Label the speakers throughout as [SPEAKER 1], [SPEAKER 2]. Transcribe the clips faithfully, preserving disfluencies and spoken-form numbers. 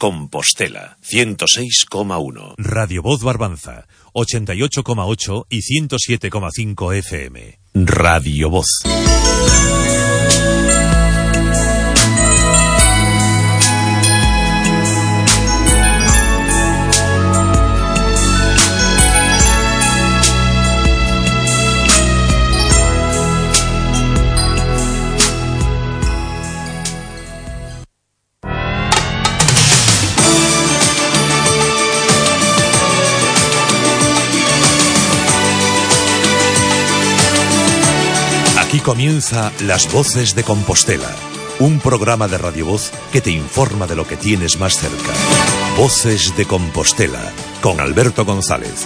[SPEAKER 1] Compostela, ciento seis coma uno.
[SPEAKER 2] Radio Voz Barbanza, ochenta y ocho coma ocho y ciento siete coma cinco F M.
[SPEAKER 1] Radio Voz.
[SPEAKER 2] Aquí comienza Las Voces de Compostela, un programa de Radio Voz que te informa de lo que tienes más cerca. Voces de Compostela, con Alberto González.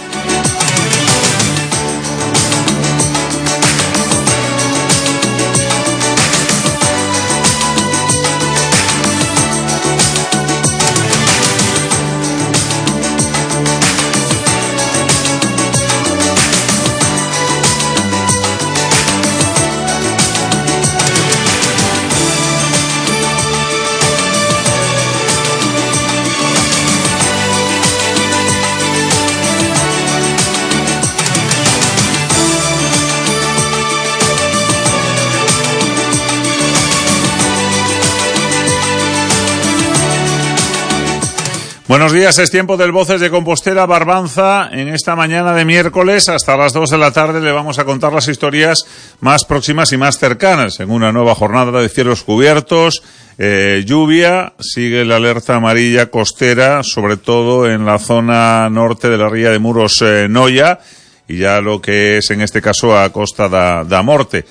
[SPEAKER 3] Buenos días, es tiempo del Voces de Compostela Barbanza. En esta mañana de miércoles hasta las dos de la tarde le vamos a contar las historias más próximas y más cercanas en una nueva jornada de cielos cubiertos, eh, lluvia, sigue la alerta amarilla costera, sobre todo en la zona norte de la ría de Muros eh, Noia, y ya lo que es en este caso a Costa da, da Morte.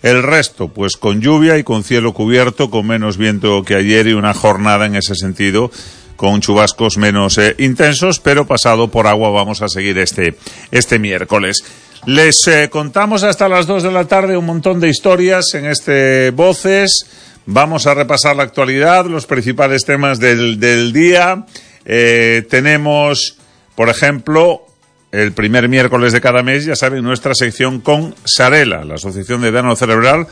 [SPEAKER 3] El resto, pues con lluvia y con cielo cubierto, con menos viento que ayer y una jornada en ese sentido con chubascos menos eh, intensos, pero pasado por agua vamos a seguir este, este miércoles. Les eh, contamos hasta las dos de la tarde un montón de historias en este Voces. Vamos a repasar la actualidad, los principales temas del, del día. Eh, tenemos, por ejemplo, el primer miércoles de cada mes, ya saben, nuestra sección con Sarela, la Asociación de Daño Cerebral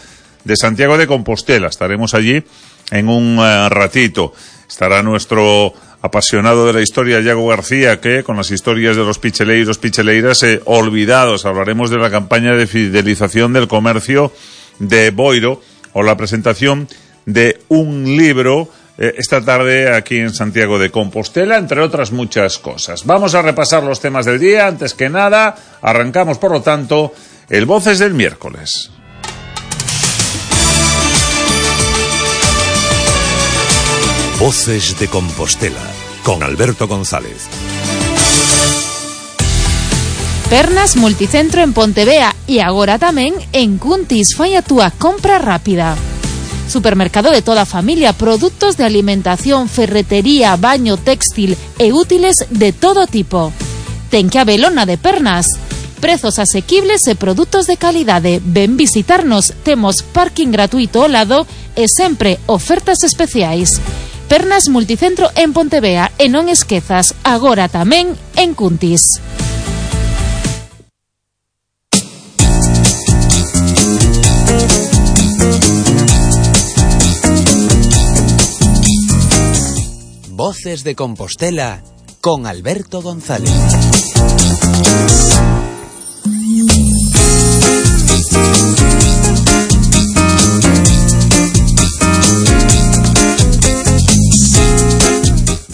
[SPEAKER 3] de Santiago de Compostela. Estaremos allí en un uh, ratito. Estará nuestro apasionado de la historia, Yago García, que con las historias de los picheleiros, picheleiras eh, olvidados. Hablaremos de la campaña de fidelización del comercio de Boiro o la presentación de un libro eh, esta tarde aquí en Santiago de Compostela, entre otras muchas cosas. Vamos a repasar los temas del día. Antes que nada, arrancamos, por lo tanto, el Voces del miércoles.
[SPEAKER 2] Voces de Compostela, con Alberto González.
[SPEAKER 4] Pernas Multicentro en Pontevea y agora tamén en Cuntis. Fai a túa compra rápida. Supermercado de toda familia, produtos de alimentación, ferretería, baño, textil e útiles de todo tipo. Ten que habelo na de Pernas. Prezos asequibles e produtos de calidade. Ven visitarnos, temos parking gratuito ao lado e sempre ofertas especiais. Pernas Multicentro en Pontevea e non esquezas, agora tamén en Cuntis.
[SPEAKER 5] Voces de Compostela con Alberto González.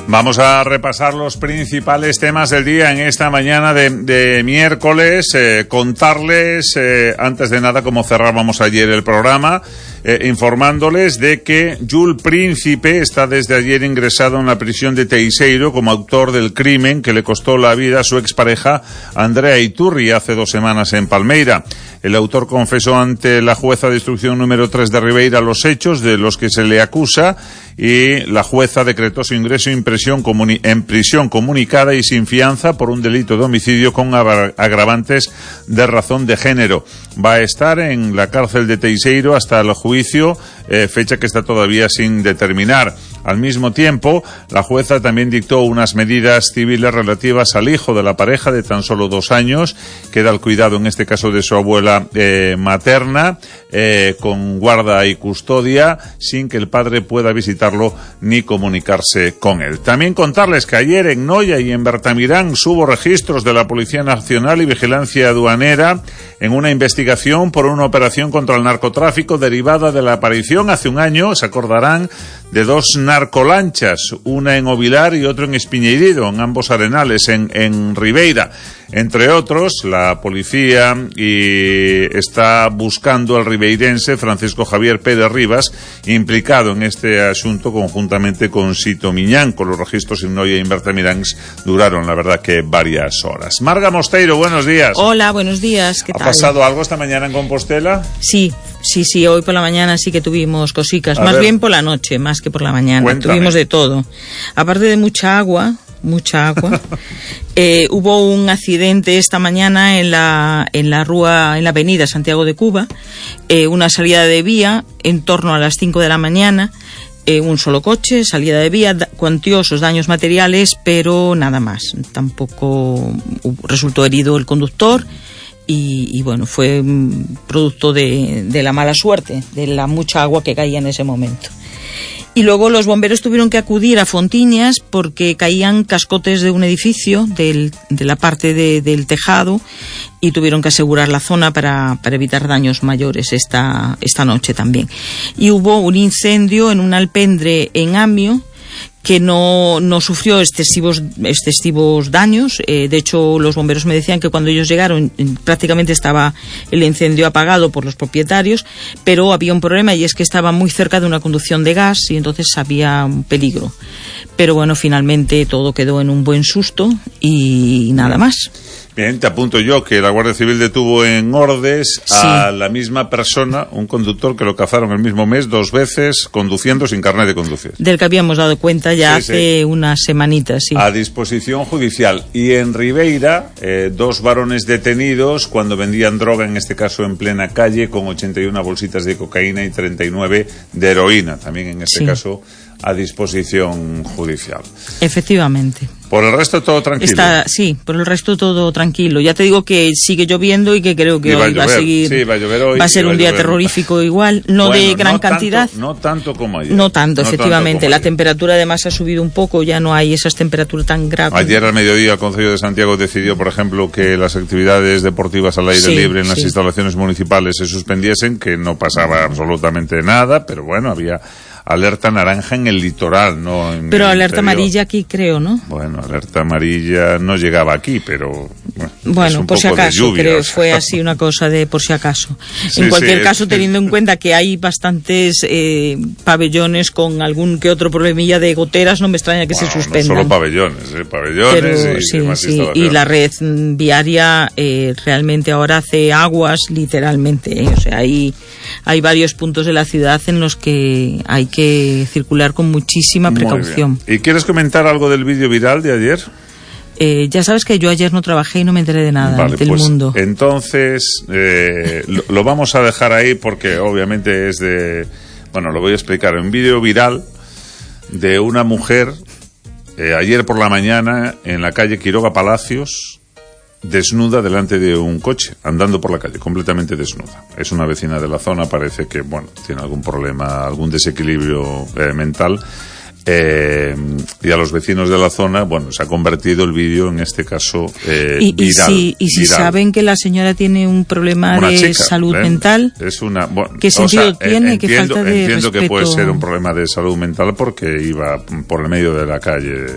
[SPEAKER 3] Vamos a repasar los principales temas del día en esta mañana de, de miércoles, eh, contarles, eh, antes de nada, como cerrábamos ayer el programa, eh, informándoles de que Jules Príncipe está desde ayer ingresado en la prisión de Teixeiro como autor del crimen que le costó la vida a su expareja Andrea Iturri hace dos semanas en Palmeira. El autor confesó ante la jueza de instrucción número tres de Ribeira los hechos de los que se le acusa y la jueza decretó su ingreso en prisión, comuni- en prisión comunicada y sin fianza por un delito de homicidio con agra- agravantes de razón de género. Va a estar en la cárcel de Teixeiro hasta el juicio, eh, fecha que está todavía sin determinar. Al mismo tiempo, la jueza también dictó unas medidas civiles relativas al hijo de la pareja de tan solo dos años, que da el cuidado en este caso de su abuela eh, materna, eh, con guarda y custodia, sin que el padre pueda visitarlo ni comunicarse con él. También contarles que ayer en Noya y en Bertamirán hubo registros de la Policía Nacional y Vigilancia Aduanera en una investigación por una operación contra el narcotráfico derivada de la aparición hace un año, se acordarán, de dos narcolanchas, una en Ovilar y otra en Espiñeirido, en ambos arenales, en, en Ribeira. Entre otros, la policía y está buscando al ribeirense Francisco Javier Pérez Rivas, implicado en este asunto conjuntamente con Sito Miñán. Con los registros en Noia y en Bertamirán duraron, la verdad, que varias horas. Marga Mosteiro, buenos días.
[SPEAKER 6] Hola, buenos días, ¿qué tal?
[SPEAKER 3] ¿Ha pasado algo esta mañana en Compostela?
[SPEAKER 6] Sí, sí, sí, hoy por la mañana sí que tuvimos cositas,
[SPEAKER 3] A
[SPEAKER 6] más
[SPEAKER 3] ver.
[SPEAKER 6] bien por la noche, más que por la mañana.
[SPEAKER 3] Cuéntame.
[SPEAKER 6] Tuvimos de todo. Aparte de mucha agua, mucha agua, eh, hubo un accidente esta mañana en la en la rúa, en la avenida Santiago de Cuba, eh, una salida de vía en torno a las cinco de la mañana. Eh, un solo coche, salida de vía, da- cuantiosos daños materiales, pero nada más. Tampoco hubo- resultó herido el conductor y, y bueno, fue mm, producto de, de la mala suerte, de la mucha agua que caía en ese momento. Y luego los bomberos tuvieron que acudir a Fontiñas porque caían cascotes de un edificio, del, de la parte de, del tejado, y tuvieron que asegurar la zona para, para evitar daños mayores esta, esta noche también. Y hubo un incendio en un alpendre en Amio, que no, no sufrió excesivos, excesivos daños. Eh, de hecho, los bomberos me decían que cuando ellos llegaron prácticamente estaba el incendio apagado por los propietarios, pero había un problema, y es que estaba muy cerca de una conducción de gas y entonces había un peligro. Pero bueno, finalmente todo quedó en un buen susto y nada más.
[SPEAKER 3] Bien, te apunto yo que la Guardia Civil detuvo en Ordes a la misma persona, un conductor que lo cazaron el mismo mes dos veces conduciendo sin carnet de conducir.
[SPEAKER 6] Del que habíamos dado cuenta ya
[SPEAKER 3] Sí,
[SPEAKER 6] hace
[SPEAKER 3] sí.
[SPEAKER 6] unas semanitas, sí.
[SPEAKER 3] A disposición judicial. Y en Ribeira, eh, dos varones detenidos cuando vendían droga, en este caso en plena calle, con ochenta y una bolsitas de cocaína y treinta y nueve de heroína, también en este
[SPEAKER 6] Sí.
[SPEAKER 3] caso a disposición judicial.
[SPEAKER 6] Efectivamente.
[SPEAKER 3] Por el resto todo tranquilo.
[SPEAKER 6] Está, sí, por el resto todo tranquilo. Ya te digo que sigue lloviendo y que creo que
[SPEAKER 3] Y va
[SPEAKER 6] hoy
[SPEAKER 3] a
[SPEAKER 6] va a
[SPEAKER 3] llover.
[SPEAKER 6] seguir.
[SPEAKER 3] Sí, va a llover hoy
[SPEAKER 6] va a
[SPEAKER 3] y
[SPEAKER 6] ser
[SPEAKER 3] va a
[SPEAKER 6] un día
[SPEAKER 3] llover.
[SPEAKER 6] terrorífico igual, no
[SPEAKER 3] Bueno,
[SPEAKER 6] de gran
[SPEAKER 3] no tanto-
[SPEAKER 6] cantidad.
[SPEAKER 3] no tanto como ayer.
[SPEAKER 6] No tanto,
[SPEAKER 3] No
[SPEAKER 6] efectivamente.
[SPEAKER 3] tanto
[SPEAKER 6] La
[SPEAKER 3] como ayer.
[SPEAKER 6] temperatura además ha subido un poco, ya no hay esas temperaturas tan graves.
[SPEAKER 3] Ayer al mediodía el Concello de Santiago decidió, por ejemplo, que las actividades deportivas al aire
[SPEAKER 6] Sí,
[SPEAKER 3] libre en las
[SPEAKER 6] sí.
[SPEAKER 3] instalaciones municipales se suspendiesen, que no pasaba absolutamente nada, pero bueno, había alerta naranja en el litoral, no en
[SPEAKER 6] Pero
[SPEAKER 3] el
[SPEAKER 6] alerta
[SPEAKER 3] interior.
[SPEAKER 6] amarilla aquí creo, ¿no?
[SPEAKER 3] Bueno, alerta amarilla no llegaba aquí, pero bueno, es
[SPEAKER 6] Bueno,
[SPEAKER 3] un
[SPEAKER 6] por si
[SPEAKER 3] poco de
[SPEAKER 6] acaso,
[SPEAKER 3] lluvia,
[SPEAKER 6] creo,
[SPEAKER 3] o sea.
[SPEAKER 6] fue así una cosa de por si acaso.
[SPEAKER 3] Sí,
[SPEAKER 6] en cualquier
[SPEAKER 3] sí,
[SPEAKER 6] caso,
[SPEAKER 3] es-
[SPEAKER 6] teniendo en cuenta que hay bastantes eh, pabellones con algún que otro problemilla de goteras, no me extraña que
[SPEAKER 3] Bueno,
[SPEAKER 6] se
[SPEAKER 3] no
[SPEAKER 6] suspendan.
[SPEAKER 3] solo pabellones, ¿eh? pabellones
[SPEAKER 6] Pero
[SPEAKER 3] y
[SPEAKER 6] sí,
[SPEAKER 3] demás
[SPEAKER 6] sí,
[SPEAKER 3] instalaciones.
[SPEAKER 6] y la red mm, viaria eh, realmente ahora hace aguas, literalmente. ¿eh? O sea, hay, hay varios puntos de la ciudad en los que hay que circular con muchísima
[SPEAKER 3] Muy
[SPEAKER 6] precaución.
[SPEAKER 3] bien. ¿Y quieres comentar algo del vídeo viral de ayer?
[SPEAKER 6] Eh, ya sabes que yo ayer no trabajé y no me enteré de nada
[SPEAKER 3] Vale,
[SPEAKER 6] del
[SPEAKER 3] pues
[SPEAKER 6] mundo.
[SPEAKER 3] entonces eh, lo, lo vamos a dejar ahí porque obviamente es de... Bueno, lo voy a explicar. Un vídeo viral de una mujer eh, ayer por la mañana en la calle Quiroga Palacios, desnuda delante de un coche, andando por la calle, completamente desnuda. Es una vecina de la zona, parece que, bueno, tiene algún problema, algún desequilibrio eh, mental. Eh, y a los vecinos de la zona, bueno, se ha convertido el vídeo en este caso eh,
[SPEAKER 6] y, y
[SPEAKER 3] viral.
[SPEAKER 6] si, y si
[SPEAKER 3] viral.
[SPEAKER 6] saben que la señora tiene un problema
[SPEAKER 3] Una
[SPEAKER 6] de
[SPEAKER 3] chica,
[SPEAKER 6] salud
[SPEAKER 3] ¿eh?
[SPEAKER 6] mental,
[SPEAKER 3] Es una, bueno,
[SPEAKER 6] ¿qué
[SPEAKER 3] o
[SPEAKER 6] sentido
[SPEAKER 3] sea,
[SPEAKER 6] tiene?
[SPEAKER 3] eh,
[SPEAKER 6] ¿Qué
[SPEAKER 3] entiendo,
[SPEAKER 6] falta de
[SPEAKER 3] entiendo que puede
[SPEAKER 6] respeto?
[SPEAKER 3] ser un problema de salud mental porque iba por el medio de la calle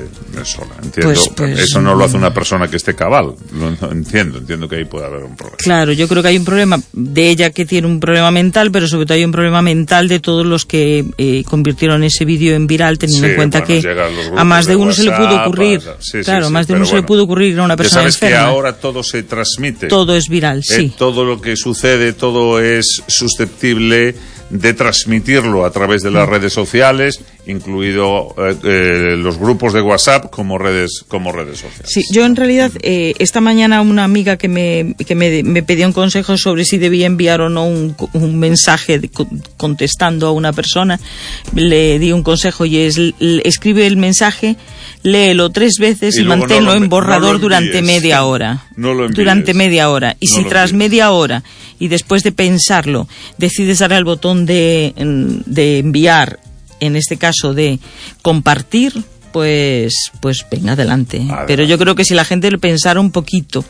[SPEAKER 3] sola. Entiendo.
[SPEAKER 6] Pues- pues,
[SPEAKER 3] Eso no lo hace una persona que esté cabal. Lo, lo entiendo, entiendo que ahí puede haber un problema.
[SPEAKER 6] claro, yo creo que hay un problema de ella que tiene un problema mental, pero sobre todo hay un problema mental de todos los que eh, convirtieron ese vídeo en viral, teniendo
[SPEAKER 3] Sí,
[SPEAKER 6] en cuenta
[SPEAKER 3] bueno,
[SPEAKER 6] que
[SPEAKER 3] llegan los grupos
[SPEAKER 6] a más de
[SPEAKER 3] de
[SPEAKER 6] uno se le pudo
[SPEAKER 3] WhatsApp,
[SPEAKER 6] ocurrir,
[SPEAKER 3] a- sí, sí,
[SPEAKER 6] claro,
[SPEAKER 3] sí,
[SPEAKER 6] más de
[SPEAKER 3] pero
[SPEAKER 6] uno se le
[SPEAKER 3] bueno.
[SPEAKER 6] pudo ocurrir a una
[SPEAKER 3] Ya
[SPEAKER 6] persona
[SPEAKER 3] sabes que
[SPEAKER 6] enferma.
[SPEAKER 3] ahora todo se transmite.
[SPEAKER 6] Todo es viral,
[SPEAKER 3] Eh,
[SPEAKER 6] sí.
[SPEAKER 3] todo lo que sucede, todo es susceptible de transmitirlo a través de las redes sociales, incluido eh, eh, los grupos de WhatsApp como redes como redes sociales.
[SPEAKER 6] Sí, yo en realidad eh, esta mañana una amiga que me que me, me pedía un consejo sobre si debía enviar o no un, un mensaje de, contestando a una persona, le di un consejo y es le, escribe el mensaje, léelo tres veces y, y manténlo no lo, en borrador no durante media hora.
[SPEAKER 3] No lo envíes.
[SPEAKER 6] Durante media hora. Y no si tras envíes. media hora y después de pensarlo decides darle al botón de, de enviar, en este caso de compartir, pues pues venga, adelante. adelante. Pero yo creo que si la gente lo pensara un poquito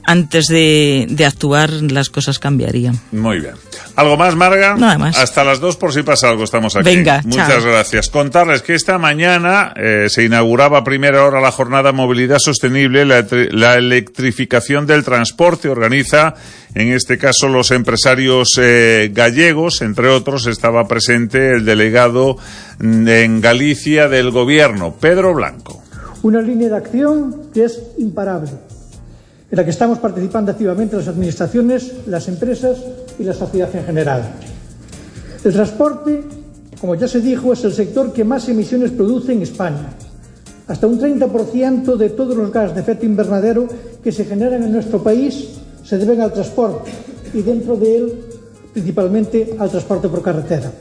[SPEAKER 6] antes de, de actuar, las cosas cambiarían.
[SPEAKER 3] Muy bien. ¿Algo más, Marga?
[SPEAKER 6] Nada más.
[SPEAKER 3] Hasta las dos por si pasa algo, estamos aquí.
[SPEAKER 6] Venga,
[SPEAKER 3] Muchas
[SPEAKER 6] chao.
[SPEAKER 3] gracias. Contarles que esta mañana eh, se inauguraba a primera hora la jornada Movilidad Sostenible, la, la electrificación del transporte. Organiza, en este caso, los empresarios eh, gallegos. Entre otros, estaba presente el delegado en Galicia del Gobierno, Pedro Blanco.
[SPEAKER 7] Una línea de acción que es imparable, en la que estamos participando activamente las administraciones, las empresas y la sociedad en general. El transporte, como ya se dijo, es el sector que más emisiones produce en España. Hasta un treinta por ciento de todos los gases de efecto invernadero que se generan en nuestro país se deben al transporte, y dentro de él, principalmente, al transporte por carretera.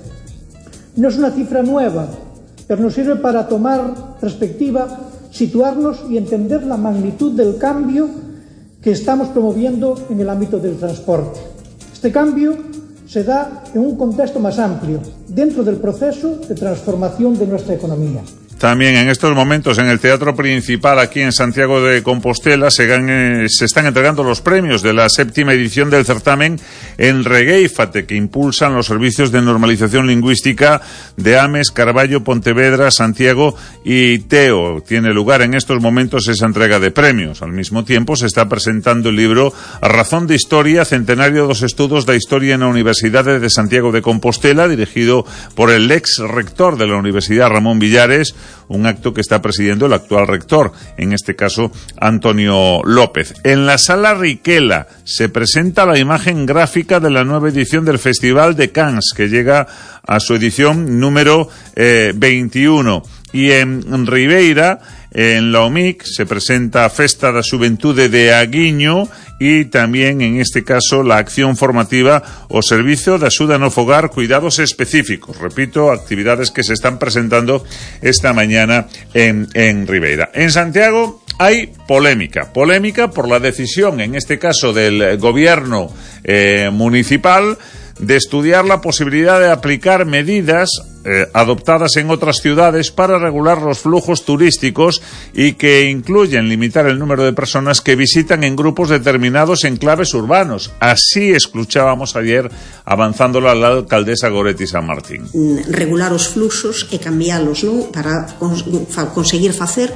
[SPEAKER 7] No es una cifra nueva, pero nos sirve para tomar perspectiva, situarnos y entender la magnitud del cambio que estamos promoviendo en el ámbito del transporte. Este cambio se da en un contexto más amplio, dentro del proceso de transformación de nuestra economía.
[SPEAKER 3] También en estos momentos en el Teatro Principal aquí en Santiago de Compostela se, gan- se están entregando los premios de la séptima edición del certamen Enreguéifate, que impulsan los servicios de normalización lingüística de Ames, Carballo, Pontevedra, Santiago y Teo. Tiene lugar en estos momentos esa entrega de premios. Al mismo tiempo se está presentando el libro A Razón de Historia, Centenario dos Estudos da Historia na Universidade de Santiago de Compostela, dirigido por el ex rector de la Universidad, Ramón Villares, un acto que está presidiendo el actual rector, en este caso Antonio López. En la Sala Riquela se presenta la imagen gráfica de la nueva edición del Festival de Cannes, que llega a su edición número eh, veintiuno. Y en Ribeira, en la O M I C, se presenta Festa da Xuventude de Aguiño y también, en este caso, la acción formativa o servicio de axuda no fogar, cuidados específicos. Repito, actividades que se están presentando esta mañana en, en Ribeira. En Santiago hay polémica, polémica por la decisión, en este caso, del gobierno eh, municipal, de estudiar la posibilidad de aplicar medidas eh, adoptadas en otras ciudades para regular los flujos turísticos y que incluyen limitar el número de personas que visitan en grupos determinados enclaves urbanos. Así escuchábamos ayer avanzándolo a la alcaldesa Goretti San Martín.
[SPEAKER 8] Regular os fluxos e cambialos, non? Para cons- fa- conseguir facer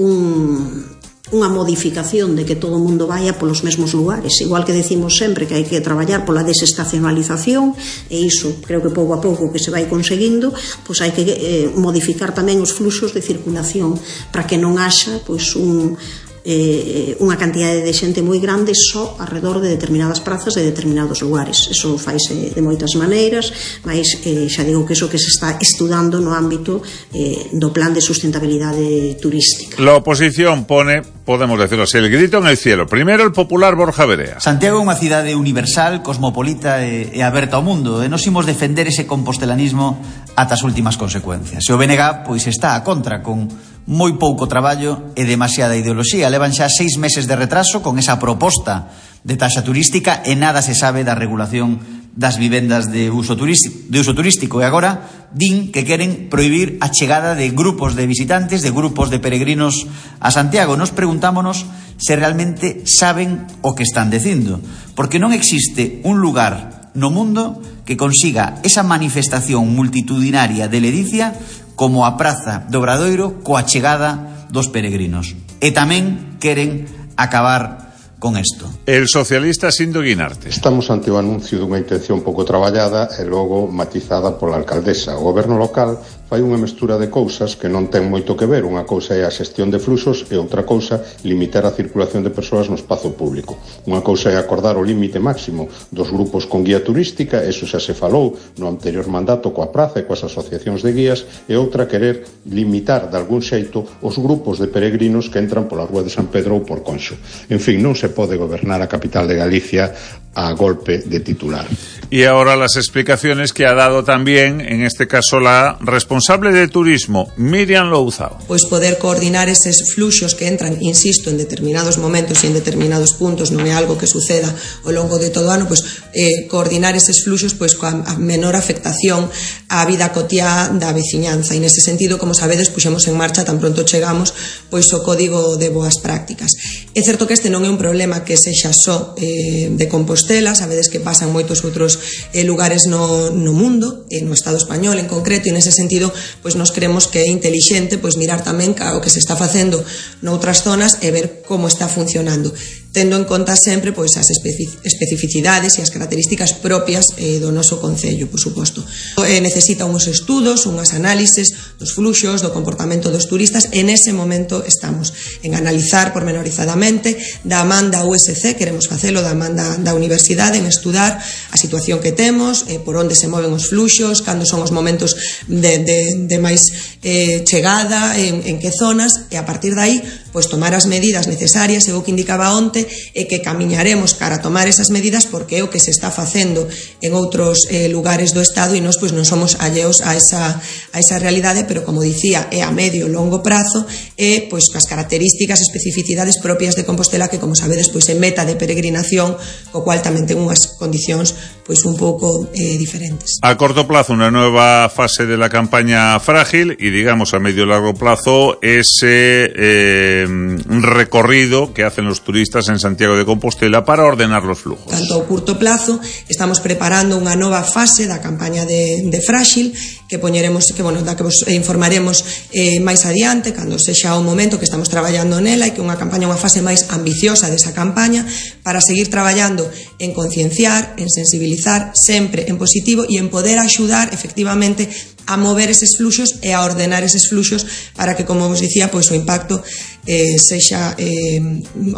[SPEAKER 8] un... unha modificación de que todo o mundo vaya polos mesmos lugares, igual que decimos sempre que hai que traballar pola desestacionalización, e iso creo que pouco a pouco que se vai conseguindo, pois hai que eh, modificar tamén os fluxos de circulación para que non haxa pois un eh, unha cantidade de xente moi grande só alrededor de determinadas prazas de determinados lugares. Eso faise de moitas maneiras, mas eh, xa digo que eso que se está estudando no ámbito eh, do plan de sustentabilidade turística.
[SPEAKER 3] La oposición pone, podemos decirlo así, el grito en el cielo. Primero el popular Borja Verea.
[SPEAKER 9] Santiago é unha cidade universal, cosmopolita e, e aberta ao mundo, e nos imos defender ese compostelanismo ata as últimas consecuencias. E o B N G pois está a contra, con moi pouco traballo e demasiada ideoloxía. Levan xa seis meses de retraso con esa proposta de taxa turística e nada se sabe da regulación das vivendas de uso turístico, de uso turístico. E agora din que queren prohibir a chegada de grupos de visitantes, de grupos de peregrinos a Santiago. Nos preguntámonos se realmente saben o que están dicindo, porque non existe un lugar no mundo que consiga esa manifestación multitudinaria de ledicia como a Praza do Obradoiro coa chegada dos peregrinos. E tamén queren acabar con isto.
[SPEAKER 3] El socialista Sindo Guinarte.
[SPEAKER 10] Estamos ante o anuncio dunha intención pouco traballada e logo matizada pola alcaldesa. O goberno local fai unha mestura de cousas que non ten moito que ver. Unha cousa é a xestión de fluxos e outra cousa limitar a circulación de persoas no espazo público. Unha cousa é acordar o límite máximo dos grupos con guía turística, eso xa se falou no anterior mandato coa praza e coas asociacións de guías, e outra querer limitar de algún xeito os grupos de peregrinos que entran pola Rúa de San Pedro ou por Conxo. En fin, non se pode gobernar a capital de Galicia a golpe de titular.
[SPEAKER 3] Y ahora las explicaciones que ha dado también, en este caso, la responsable de turismo, Miriam Louzao.
[SPEAKER 11] Pois poder coordinar eses fluxos que entran, insisto, en determinados momentos e en determinados puntos, non é algo que suceda ao longo de todo o ano, pois eh, coordinar eses fluxos pois coa menor afectación á vida cotiá da veciñanza. E nese sentido, como sabedes, puxemos en marcha tan pronto chegamos pois o código de boas prácticas. É certo que este non é un problema que sexa só eh, de Compostela, sabedes que pasan moitos outros eh, lugares no, no mundo, eh, no Estado español en concreto, e nese sentido pois nos creemos que é intelixente pois mirar tamén o que se está facendo noutras zonas e ver como está funcionando, tendo en conta sempre pois as especificidades e as características propias eh, do noso concello, por suposto. Eh, necesita uns estudos, unhas análises dos fluxos, do comportamento dos turistas, e nese momento estamos en analizar pormenorizadamente da man da U S C, queremos facelo da man da, da universidade, en estudar a situación que temos, eh, por onde se moven os fluxos, cando son os momentos de, de, de máis eh, chegada, en, en que zonas, e a partir de aí pois tomar as medidas necesarias. E o que indicaba onte é que camiñaremos cara a tomar esas medidas porque é o que se está facendo en outros eh, lugares do Estado, e nós pois non somos alleos a esa, a esa realidade, pero como dicía, é a medio e longo prazo, e pois as características, especificidades propias de Compostela, que como sabedes pois é meta de peregrinación, co cual tamén ten unhas condicións pois un pouco eh, diferentes.
[SPEAKER 3] A corto plazo una nueva fase de la campaña Frágil, y digamos a medio y largo plazo ese eh, recorrido que hacen los turistas en Santiago de Compostela para ordenar los flujos.
[SPEAKER 11] Tanto a curto plazo estamos preparando unha nova fase da campaña de, de Frágil, que poñeremos, que bueno, da que vos informaremos eh, máis adiante, cando sexa o momento, que estamos traballando nela, e que unha campaña, unha fase máis ambiciosa desa campaña, para seguir traballando en concienciar, en sensibilizar, sempre en positivo, e en poder axudar efectivamente a mover eses fluxos e a ordenar eses fluxos para que, como vos dicía, pois o impacto eh, sexa eh,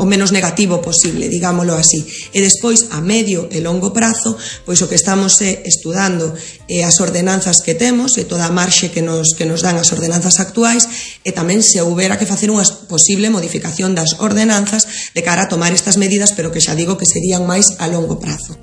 [SPEAKER 11] o menos negativo posible, digámoslo así. E despois, a medio e longo prazo, pois o que estamos é estudando eh, as ordenanzas que temos e toda a marxe que nos, que nos dan as ordenanzas actuais, e tamén se houbera que facer unha posible modificación das ordenanzas de cara a tomar estas medidas, pero que xa digo que serían máis a longo prazo.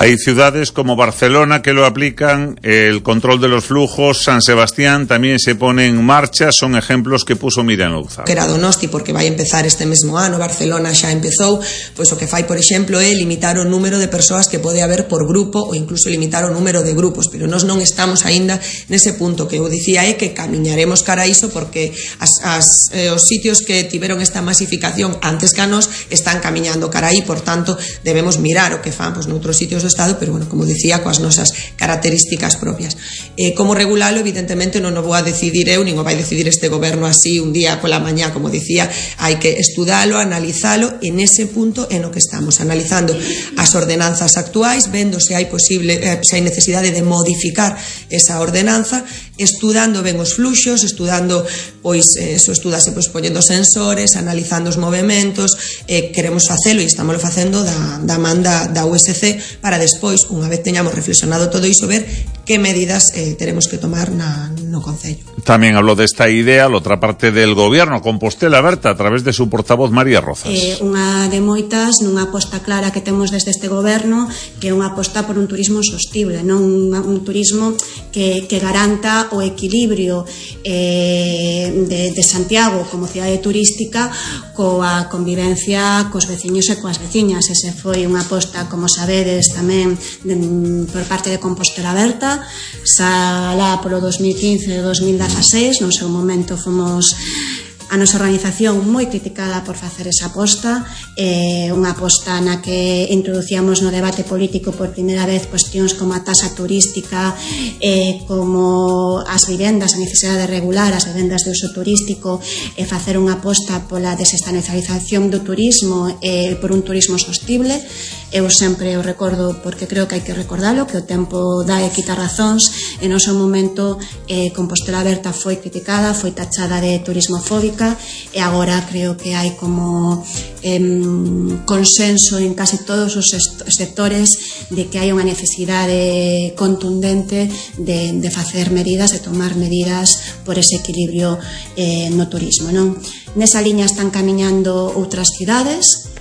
[SPEAKER 3] Hay ciudades como Barcelona que lo aplican, el control de los flujos, San Sebastián también se pone en marcha, son ejemplos que puso Miriam Louzao.
[SPEAKER 11] Que era Donosti, porque vai empezar este mesmo ano, Barcelona xa empezou, pois o que fai, por exemplo, é limitar o número de persoas que pode haber por grupo, ou incluso limitar o número de grupos, pero nós non estamos aínda nese punto. Que eu dicía é que camiñaremos cara a iso, porque as, as, eh, os sitios que tiveron esta masificación antes que a nós están camiñando cara aí, por tanto, debemos mirar o que fan pois, noutros sitios do Estado, pero, bueno, como dicía, coas nosas características propias. Eh, como regulalo, evidentemente, non o vou a decidir eu, nin o vai decidir este goberno así un día pola mañá, como dicía, hai que estudalo, analizalo, e nese punto é no que estamos, analizando as ordenanzas actuais, vendo se hai posible, eh, se hai necesidade de modificar esa ordenanza, estudando ben os fluxos, estudando, pois, eso, estudase, pois, poñendo sensores, analizando os movementos, eh, queremos facelo, e estámoslo facendo da, da man da, da U S C, para despois, unha vez teñamos reflexionado todo iso, ver que medidas eh, teremos que tomar na, no Concello.
[SPEAKER 3] También habló de esta idea la otra parte del gobierno, Compostela Berta, a través de su portavoz María Rozas.
[SPEAKER 8] Eh, unha de moitas, nunha aposta clara que temos desde este goberno, que é unha aposta por un turismo sostible, non un, un turismo que, que garanta o equilibrio eh, de, de Santiago como cidade turística coa convivencia cos veciños e coas veciñas. Ese foi unha aposta, como sabedes, tamén de, por parte de Compostela Berta, xa lá polo dos mil quince e dos mil dieciséis, no seu momento fomos A nosa organización moi criticada por facer esa aposta, eh, unha aposta na que introducíamos no debate político por primeira vez cuestións como a taxa turística, eh, como as vivendas, a necesidade de regular as vivendas de uso turístico e facer unha aposta pola desestacionalización do turismo e eh, por un turismo sostible. Eu sempre o recordo porque creo que hai que recordalo, que o tempo dá e quita razóns. En noso momento eh, Compostela Aberta foi criticada, foi tachada de turismofóbica e agora creo que hai como eh, consenso en casi todos os sectores de que hai unha necesidade contundente de, de facer medidas, de tomar medidas por ese equilibrio eh, no turismo, non? Nesa liña están camiñando outras cidades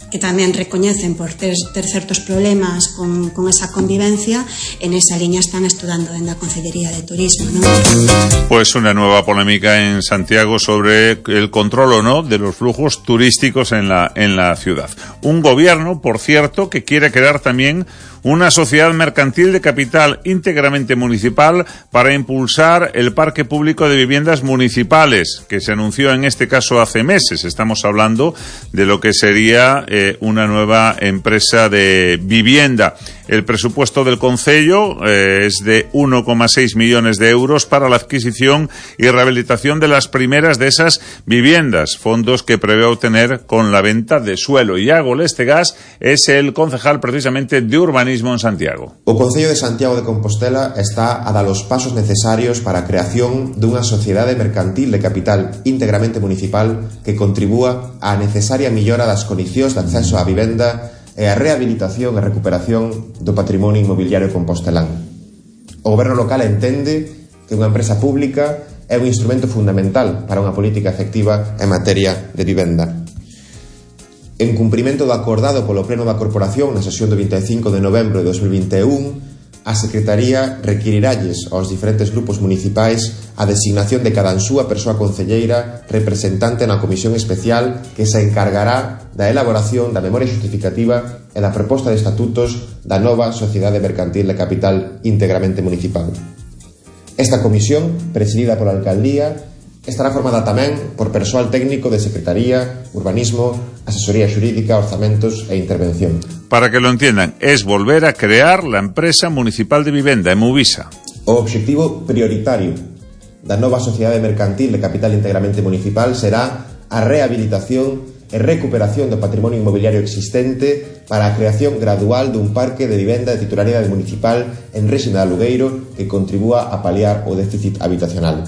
[SPEAKER 8] que tamén recoñecen por ter, ter certos problemas con, con esa convivencia. En esa liña están estudando dentro da Consellería de Turismo, ¿no?
[SPEAKER 3] Pues una nueva polémica en Santiago sobre el control o no de los flujos turísticos en la, en la ciudad. Un gobierno, por cierto, que quiere crear también una sociedad mercantil de capital íntegramente municipal para impulsar el parque público de viviendas municipales, que se anunció en este caso hace meses. Estamos hablando de lo que sería eh, una nueva empresa de vivienda. El presupuesto del concello eh, es de uno coma seis millones de euros para la adquisición y rehabilitación de las primeras de esas viviendas, fondos que prevé obtener con la venta de suelo. Iago Lestegas es el concejal precisamente de urbanismo en Santiago.
[SPEAKER 12] O Concello de Santiago de Compostela está a dar os pasos necesarios para a creación dunha sociedade mercantil de capital íntegramente municipal que contribúa á necesaria millora das condicións de acceso á vivenda e a rehabilitación e recuperación do patrimonio inmobiliario compostelán. O goberno local entende que unha empresa pública é un instrumento fundamental para unha política efectiva en materia de vivenda. En cumprimento do acordado polo Pleno da Corporación na sesión do vinte e cinco de novembro de dos mil vinte e un, a Secretaría requiriralles aos diferentes grupos municipais a designación de cada súa persoa concelleira representante na comisión especial que se encargará da elaboración da memoria justificativa e da proposta de estatutos da nova Sociedade Mercantil de Capital íntegramente municipal. Esta comisión, presidida pola Alcaldía, estará formada tamén por persoal técnico de Secretaría, Urbanismo, Asesoría Xurídica, Orzamentos e Intervención.
[SPEAKER 3] Para que lo entiendan, es volver a crear la empresa municipal de vivenda, Emuvisa.
[SPEAKER 12] O obxectivo prioritario da nova Sociedade Mercantil de Capital íntegramente municipal será a rehabilitación e recuperación do patrimonio inmobiliario existente para a creación gradual dun parque de vivenda de titularidade municipal en réxime de alugueiro que contribúa a paliar o déficit habitacional.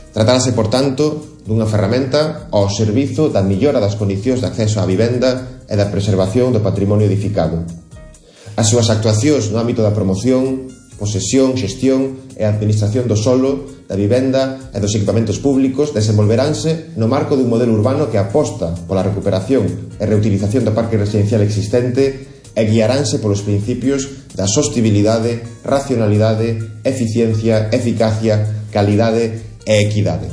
[SPEAKER 12] Tratárase, por tanto, dunha ferramenta ao servizo da millora das condicións de acceso á vivenda e da preservación do patrimonio edificado. As súas actuacións no ámbito da promoción, posesión, xestión e administración do solo, da vivenda e dos equipamentos públicos desenvolveránse no marco dun modelo urbano que aposta pola recuperación e reutilización do parque residencial existente e guiaránse polos principios da sostibilidade, racionalidade, eficiencia, eficacia, calidade e equidade.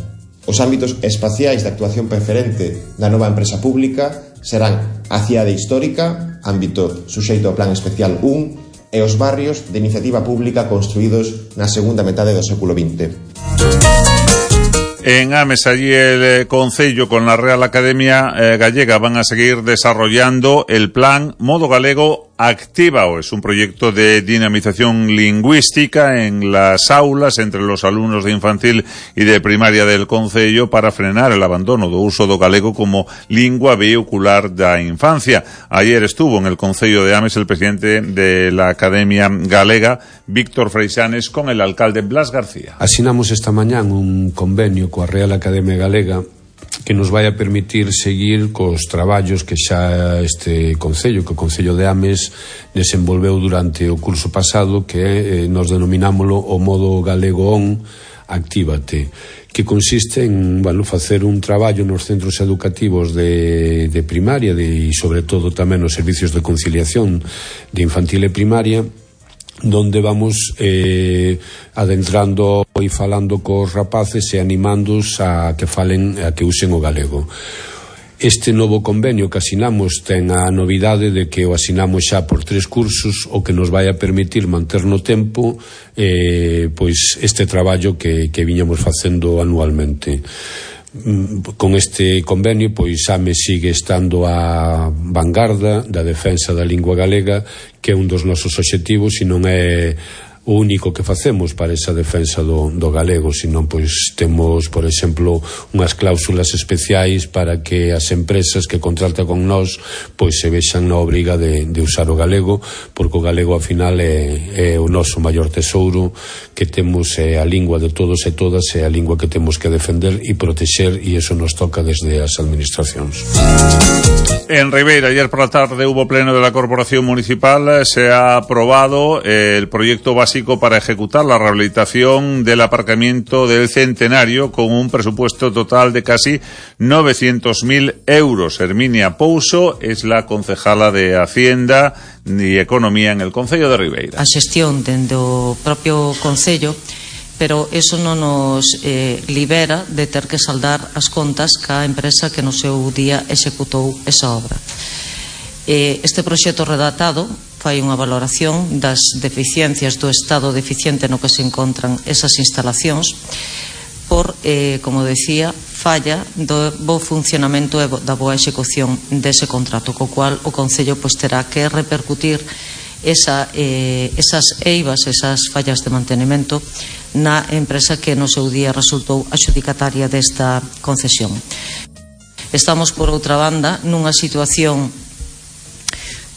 [SPEAKER 12] Os ámbitos espaciais de actuación preferente da nova empresa pública serán a cidade histórica, ámbito suxeito ao Plan Especial un, e os barrios de iniciativa pública construídos na segunda metade do século vinte.
[SPEAKER 3] En Ames, allí el eh, Concello con la Real Academia eh, Gallega van a seguir desarrollando el plan Modo Galego Actívao. Es un proyecto de dinamización lingüística en las aulas entre los alumnos de infantil y de primaria del Concello para frenar el abandono do uso do galego como lingua vehicular da infancia. Ayer estuvo en el Concello de Ames el presidente de la Academia Galega, Víctor Freixanes, con el alcalde Blas García.
[SPEAKER 13] Asinamos esta mañán un convenio coa Real Academia Galega que nos vai a permitir seguir cos traballos que xa este Concello, que o Concello de Ames desenvolveu durante o curso pasado, que eh, nos denominámoslo o modo galego on Actívate, que consiste en, bueno, facer un traballo nos centros educativos de, de primaria de, e sobre todo tamén nos servicios de conciliación de infantil e primaria, donde vamos eh, adentrando e falando cos rapaces e animándoos a que falen, a que usen o galego. Este novo convenio que asinamos ten a novidade de que o asinamos xa por tres cursos, o que nos vai a permitir manter no tempo eh, pois este traballo que, que viñamos facendo anualmente. con este convenio, pois AME sigue estando á vanguarda da defensa da lingua galega, que é un dos nosos obxectivos, e non é o único que facemos para esa defensa do, do galego, senón pois temos, por exemplo, unhas cláusulas especiais para que as empresas que contratan con nós pois se vexan na obriga de, de usar o galego, porque o galego ao final é, é o noso maior tesouro que temos, é a lingua de todos e todas, é a lingua que temos que defender e protexer, e eso nos toca desde as administracións.
[SPEAKER 3] En Ribeira, ayer por la tarde hubo pleno de la Corporación Municipal. Se ha aprobado el proyecto básico para ejecutar la rehabilitación del aparcamiento del Centenario con un presupuesto total de casi novecientos mil euros. Herminia Pouso es la concejala de Hacienda y Economía en el Concello de Ribeira.
[SPEAKER 14] A xestión dende o propio Concello, pero eso non nos eh, libera de ter que saldar as contas ca empresa que no seu día executou esa obra. Eh, este proxecto redactado fai unha valoración das deficiencias do estado deficiente no que se encontran esas instalacións por, eh, como decía, falla do bo funcionamento e da boa execución dese contrato, co cual o Concello pois, terá que repercutir esa, eh, esas eivas, esas fallas de mantenimento na empresa que no seu día resultou adxudicataria desta concesión. Estamos, por outra banda, nunha situación,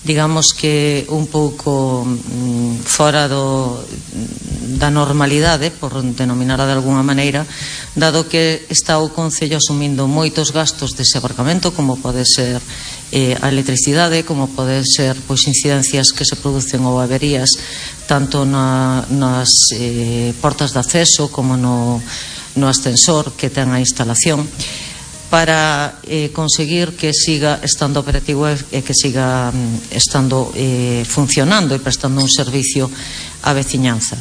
[SPEAKER 14] digamos que un pouco mm, fora do, da normalidade, por denominar de alguna maneira, dado que está o Concello asumindo moitos gastos dese aparcamento, como pode ser eh, a electricidade, como pode ser pois, incidencias que se producen ou averías tanto na, nas eh, portas de acceso como no, no ascensor que ten a instalación, para eh, conseguir que siga estando operativo e que siga mm, estando eh, funcionando e prestando un servicio á veciñanza.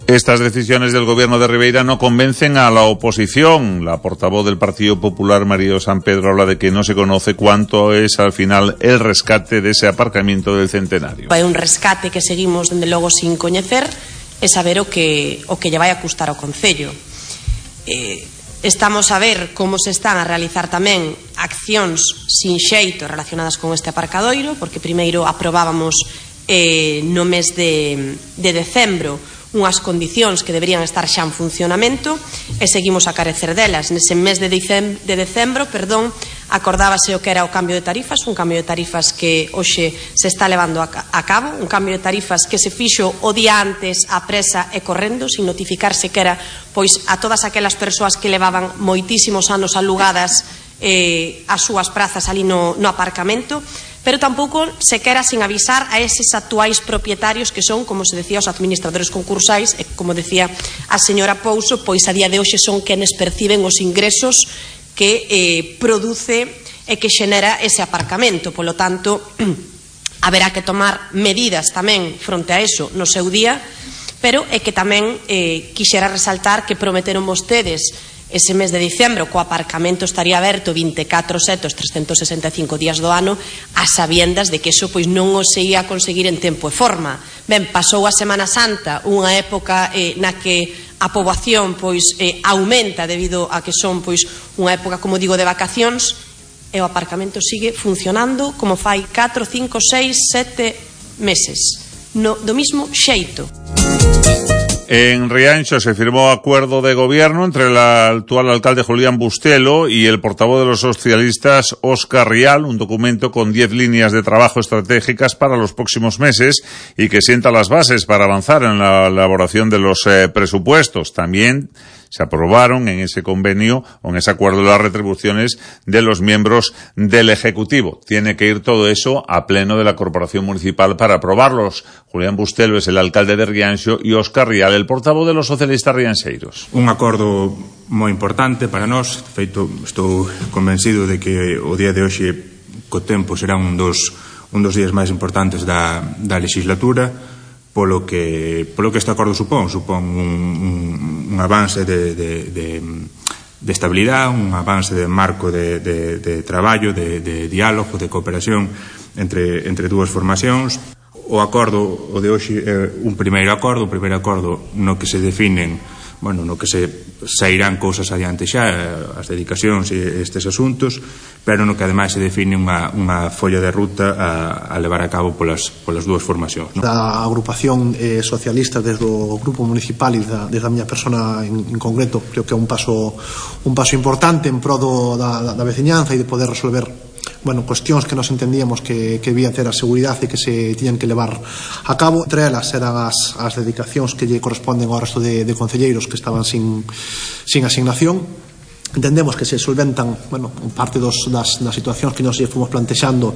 [SPEAKER 3] Estas decisiones del gobierno de Ribeira no convencen a la oposición. La portavoz del Partido Popular, María San Pedro, habla de que no se conoce cuánto es al final el rescate de ese aparcamiento del Centenario.
[SPEAKER 15] Hai un rescate que seguimos, dende logo, sin coñecer e saber o que, o que lle vai a custar ao Concello. Eh, estamos a ver como se están a realizar tamén accións sin xeito relacionadas con este aparcadoiro, porque primeiro aprobábamos eh, no mes de, de decembro unhas condicións que deberían estar xa en funcionamento e seguimos a carecer delas. Nese mes de, dicem, de decembro, perdón, acordábase o que era o cambio de tarifas, un cambio de tarifas que hoxe se está levando a, a cabo, un cambio de tarifas que se fixo o día antes a presa e correndo, sin notificarse que era pois a todas aquelas persoas que levaban moitísimos anos alugadas eh, as súas prazas ali no, no aparcamento, pero tampouco se quera sin avisar a eses actuais propietarios que son, como se decía, os administradores concursais e, como decía a señora Pouso, pois a día de hoxe son quenes perciben os ingresos que eh, produce e que xenera ese aparcamento. Polo tanto, haberá que tomar medidas tamén fronte a eso no seu día, pero é que tamén eh, quixera resaltar que prometeron vostedes ese mes de dicembro co aparcamento estaría aberto vinte e catro sete os trescentos sesenta e cinco días do ano, a sabiendas de que eso pois non o se ia a conseguir en tempo e forma. Ben, pasou a Semana Santa, unha época eh, na que a poboación pois eh, aumenta debido a que son pois unha época, como digo, de vacacións, e o aparcamento sigue funcionando como fai catro, cinco, seis, sete meses, no, do mismo xeito.
[SPEAKER 3] En Rianxo se firmó acuerdo de gobierno entre el actual alcalde Julián Bustelo y el portavoz de los socialistas Óscar Rial, un documento con diez líneas de trabajo estratégicas para los próximos meses y que sienta las bases para avanzar en la elaboración de los eh, presupuestos. También se aprobaron en ese convenio o en ese acuerdo las retribuciones de los miembros del Ejecutivo. Tiene que ir todo eso a pleno de la Corporación Municipal para aprobarlos. Julián Bustelo es el alcalde de Rianxo y Óscar Rial, el portavoz de los socialistas rianxeiros.
[SPEAKER 16] Un acordo moi importante para nós. De feito, estou convencido de que o día de hoxe co tempo será un dos, un dos días máis importantes da, da legislatura, polo que, polo que este acordo supón, supón un, un, un avance de, de, de, de estabilidade, un avance de marco de, de, de traballo, de, de diálogo, de cooperación entre, entre dúas formacións. O acordo, o de hoxe, é un primeiro acordo, un primeiro acordo no que se definen bueno, no que se sairán cousas adiante xa, as dedicacións e estes asuntos, pero no que ademais se define unha, unha folla de ruta a, a levar a cabo polas, polas dúas formacións, non?
[SPEAKER 17] Da agrupación eh, socialista desde o grupo municipal e da, desde a miña persona en, en concreto, creo que é un paso un paso importante en pro do, da, da, da veciñanza e de poder resolver, bueno, cuestións que nos entendíamos que, que debía ter a seguridade e que se tiñan que levar a cabo. Entre elas eran as, as dedicacións que lle corresponden ao resto de, de concelleiros que estaban sin, sin asignación. Entendemos que se solventan, bueno, parte dos, das, das situacións que nos lle fomos plantexando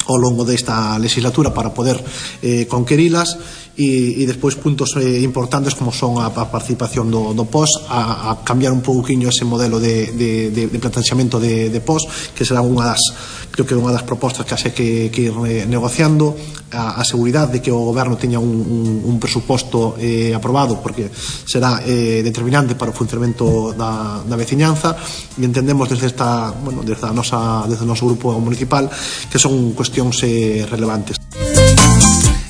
[SPEAKER 17] ao longo desta legislatura para poder eh, conquerilas e, e despois puntos eh, importantes como son a, a participación do, do P O S, a, a cambiar un pouquiño ese modelo de, de, de, de planteamento de, de P O S, que será unha das, creo que unha das propostas que haxe que, que ir eh, negociando, a, a seguridade de que o goberno teña un, un, un presuposto eh, aprobado, porque será eh, determinante para o funcionamento da, da veciñanza, e entendemos desde esta, bueno, desde a nosa, desde o noso grupo municipal que son cuestións eh, relevantes.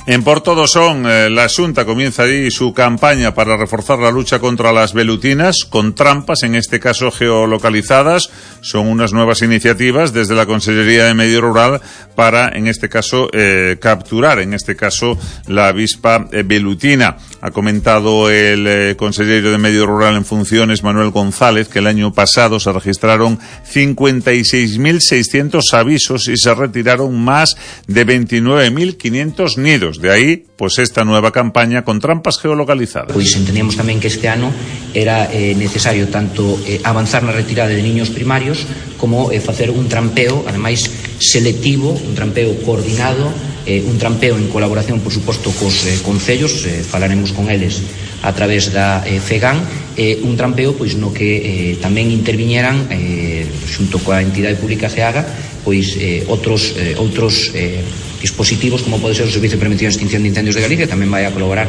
[SPEAKER 3] En Porto do Son, eh, la Xunta comienza ahí su campaña para reforzar la lucha contra las velutinas, con trampas, en este caso geolocalizadas. Son unas nuevas iniciativas desde la Consellería de Medio Rural para, en este caso, eh, capturar, en este caso, la avispa eh, velutina. Ha comentado el eh, consejero de Medio Rural en funciones, Manuel González, que el año pasado se registraron cincuenta y seis mil seiscientos avisos y se retiraron más de veintinueve mil quinientos nidos. De aí, pues esta nueva campaña con trampas geolocalizadas.
[SPEAKER 18] Pois entendíamos tamén que este ano era eh, necesario tanto eh, avanzar na retirada de niños primarios como eh, facer un trampeo, ademais selectivo, un trampeo coordinado, eh, un trampeo en colaboración, por suposto, cos eh, concellos, eh, falaremos con eles a través da eh, FEGAN, eh, un trampeo pois no que eh, tamén interviñeran eh, xunto coa entidade pública CEAGA pois eh, outros eh, outros eh, dispositivos como pode ser o Servicio de Prevención e Extinción de Incendios de Galicia, tamén vai a colaborar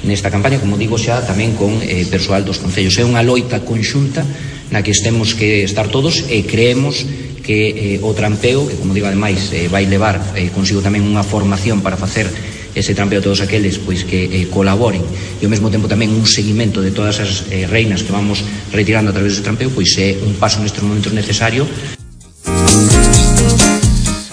[SPEAKER 18] nesta campaña, como digo xa, tamén con eh, persoal dos concellos. É unha loita conxunta na que temos que estar todos e creemos que eh, o trampeo, que como digo ademais eh, vai levar eh, consigo tamén unha formación para facer ese trampeo a todos aqueles pois que eh, colaboren e ao mesmo tempo tamén un seguimento de todas as eh, reinas que vamos retirando a través dese trampeo, pois é un paso nestes momentos necesario.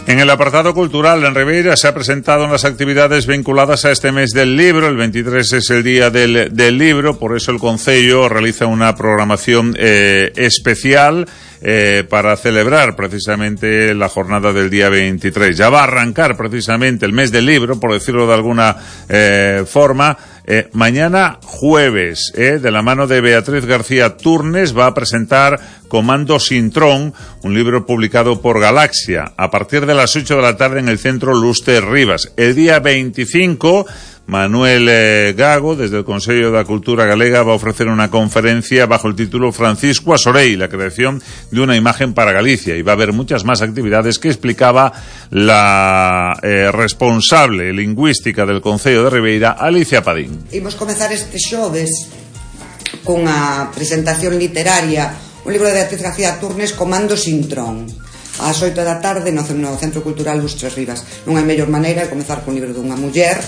[SPEAKER 3] En el apartado cultural, en Ribeira se ha presentado unas actividades vinculadas a este mes del libro. El veintitrés es el día del, del libro, por eso el Concello realiza una programación eh, especial eh, para celebrar precisamente la jornada del día veintitrés. Ya va a arrancar precisamente el mes del libro, por decirlo de alguna eh, forma. Eh, mañana jueves, eh, de la mano de Beatriz García Turnes, va a presentar Comando Sintrón, un libro publicado por Galaxia, a partir de las ocho de la tarde en el Centro Luster Rivas. El día veinticinco, Manuel eh, Gago, desde el Consello da Cultura Galega, va a ofrecer una conferencia bajo el título Francisco Asorei, la creación de una imagen para Galicia, y va a haber muchas más actividades que explicaba la eh, responsable lingüística del Concello de Ribeira, Alicia Padín.
[SPEAKER 19] Imos comezar este xoves cunha presentación literaria, un libro de Beatriz García Turnes, Comando Sintrón, ás oito da tarde no Centro Cultural Lustres Rivas. Non hai mellor maneira de comezar cun libro dunha muller,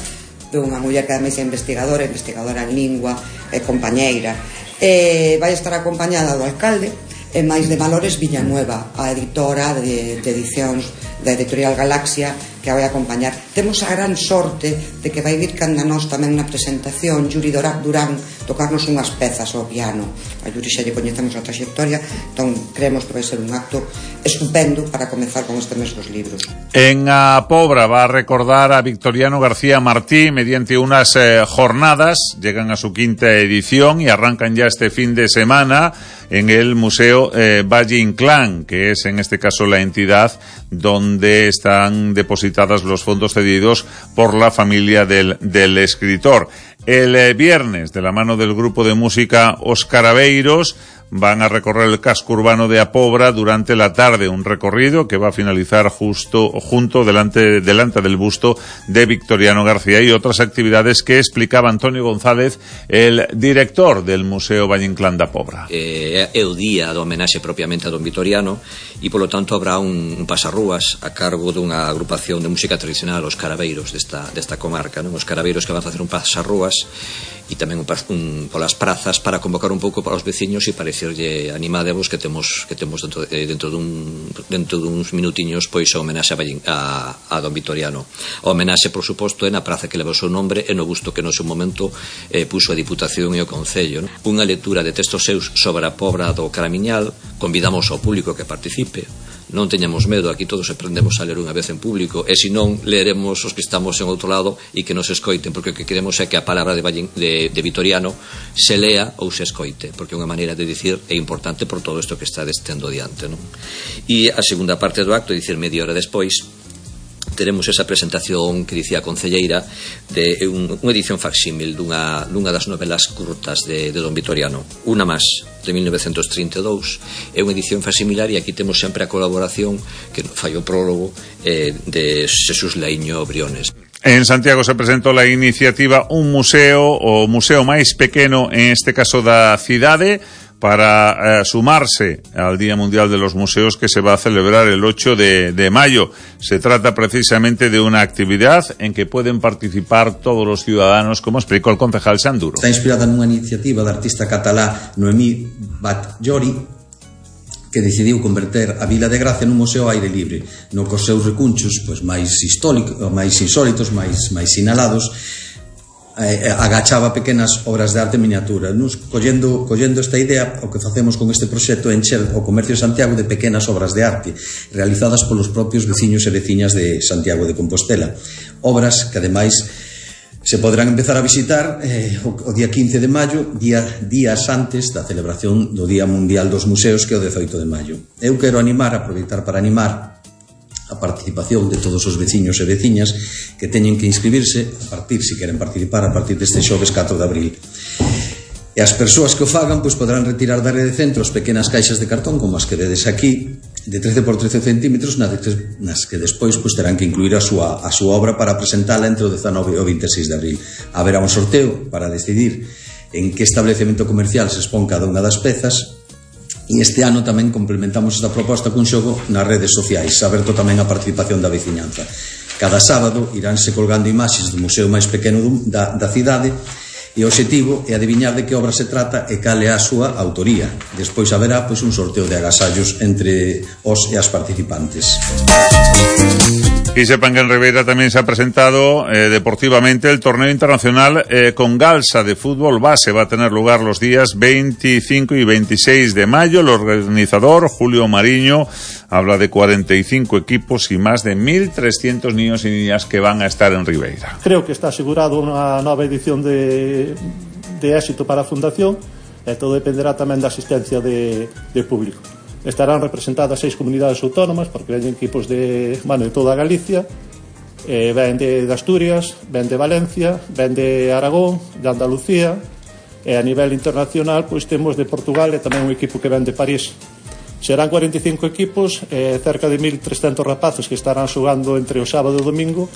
[SPEAKER 19] dunha muller que ademais é investigadora, investigadora en lingua e compañeira. E vai estar acompañada do alcalde e máis de Valores Villanueva, a editora de, de edicións da editorial Galaxia, que a vai acompañar. Temos a gran sorte de que vai vir canda nós tamén na presentación Yuri Durán tocarnos unhas pezas ao piano. A Yuri xa lle coñecemos a trayectoria, entón creemos que vai ser un acto estupendo para comezar con este mes dos libros.
[SPEAKER 3] En A Pobra va a recordar a Victoriano García Martí mediante unas eh, jornadas, llegan a su quinta edición y arrancan ya este fin de semana en el Museo eh, Valle Inclán, que es en este caso la entidad donde están depositadas los fondos cedidos por la familia del, del escritor. El eh, viernes, de la mano del grupo de música Os Carabeiros, van a recorrer el casco urbano de Apobra durante la tarde, un recorrido que va a finalizar justo junto delante, delante del busto de Victoriano García, y otras actividades que explicaba Antonio González, el director del Museo Valle Inclán da Pobra.
[SPEAKER 20] Eh, é o día do homenaxe propiamente a don Victoriano, e polo tanto habrá un, un pasarrúas a cargo dunha agrupación de música tradicional, os carabeiros desta, desta comarca, non? Os carabeiros que van a facer un pasarrúas e tamén un, un, polas prazas para convocar un pouco para os veciños e para dicirlle animadevos que temos que temos dentro, eh, dentro dun dentro duns minutiños pois a homenaxe a, a, a don Victoriano. A homenaxe, por suposto, é na praza que leva o seu nombre e no busto que no seu momento eh, puso a Diputación e o Concello, non? Unha lectura de textos seus sobre a Pobra do Caramiñal. Convidamos ao público que participe. Non teñamos medo, aquí todos aprendemos a ler unha vez en público, e se non, leeremos os que estamos en outro lado e que nos escoiten, porque o que queremos é que a palabra de, Valle, de, de Victoriano se lea ou se escoite, porque é unha maneira de dicir é importante por todo isto que está destendo diante, non? E a segunda parte do acto, dicir, media hora despois, teremos esa presentación que dicía a concelleira de un, unha edición facsímil dunha, dunha das novelas curtas de, de don Victoriano, Una Más, de mil novecentos trinta e dous. É unha edición facsimilar e aquí temos sempre a colaboración que fai o prólogo eh, de Xesús Laíño Briones.
[SPEAKER 3] En Santiago se presentó la iniciativa Un Museo, o museo máis pequeno, en este caso da cidade, para eh, sumarse al Día Mundial de los Museos que se va a celebrar el ocho de mayo. Se trata precisamente de una actividad en que pueden participar todos los ciudadanos, como explicó el concejal Sanduro.
[SPEAKER 21] Está inspirada nunha iniciativa da artista catalá Noemí Batllori, que decidiu converter a Vila de Gracia nun museo ao aire libre, no cos seus recunchos pois, máis, máis insólitos, máis, máis sinalados, eh, agachaba pequenas obras de arte miniatura. Nos, collendo, collendo esta idea, o que facemos con este proxecto é encher o comercio de Santiago de pequenas obras de arte realizadas polos propios veciños e veciñas de Santiago de Compostela, obras que ademais se poderán empezar a visitar eh, o, o día quince de maio, día, días antes da celebración do Día Mundial dos Museos, que é o dezoito de maio. Eu quero animar, aproveitar para animar a participación de todos os veciños e veciñas que teñen que inscribirse a partir, se queren participar, a partir deste xoves catro de abril. E as persoas que o fagan pois poderán retirar da rede de centros pequenas caixas de cartón como as que vedes aquí, de trece por trece centímetros, nas que despois pois terán que incluir a súa, a súa obra para presentala entre o dezanove e o veintiséis de abril. Haberá un sorteo para decidir en que establecemento comercial se expón cada unha das pezas. E este ano tamén complementamos esta proposta cun xogo nas redes sociais, aberto tamén a participación da veciñanza. Cada sábado iránse colgando imaxes do museo máis pequeno da, da cidade, e o obxectivo é adiviñar de que obra se trata e cal é a súa autoría. Despois haberá pois, un sorteo de agasallos entre os e as participantes.
[SPEAKER 3] Y sepan que en Ribeira también se ha presentado eh, deportivamente el torneo internacional eh, con Galsa de fútbol base. Va a tener lugar los días veinticinco y veintiséis de mayo. El organizador, Julio Mariño, habla de cuarenta y cinco equipos y más de mil trescientos niños y niñas que van a estar en Ribeira.
[SPEAKER 22] Creo que está asegurado una nueva edición de, de éxito para a Fundación. E todo dependerá tamén da asistencia de, de público. Estarán representadas seis comunidades autónomas, porque ven equipos de, bueno, de toda Galicia, eh, ven de, de Asturias, ven de Valencia, ven de Aragón, de Andalucía, e a nivel internacional pois temos de Portugal e tamén un equipo que ven de París. Serán cuarenta y cinco equipos, eh, cerca de mil trescentos rapaces que estarán xogando entre o sábado e o domingo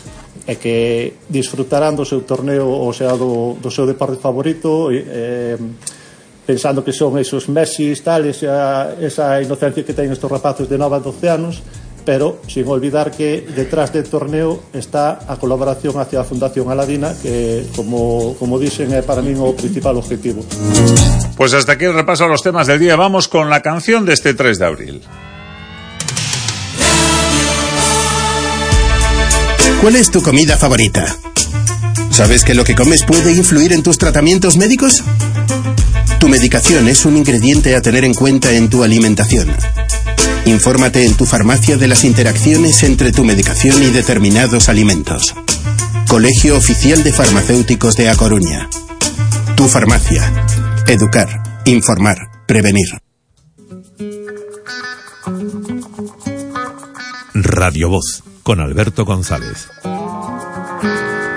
[SPEAKER 22] e que disfrutarán do seu torneo, ou sea, do, do seu deporte favorito, eh, pensando que son esos Messi, tal, esa, esa inocencia que teñen estos rapaces de nove a doce anos, pero sin olvidar que detrás del torneo está a colaboración hacia a Fundación Aladina, que, como, como dicen, é para mí o principal objetivo.
[SPEAKER 3] Pues hasta aquí el repaso a los temas del día. Vamos con la canción de este tres de abril.
[SPEAKER 23] ¿Cuál es tu comida favorita? ¿Sabes que lo que comes puede influir en tus tratamientos médicos? Tu medicación es un ingrediente a tener en cuenta en tu alimentación. Infórmate en tu farmacia de las interacciones entre tu medicación y determinados alimentos. Colegio Oficial de Farmacéuticos de A Coruña. Tu farmacia. Educar, informar, prevenir.
[SPEAKER 2] Radio Voz, con Alberto González.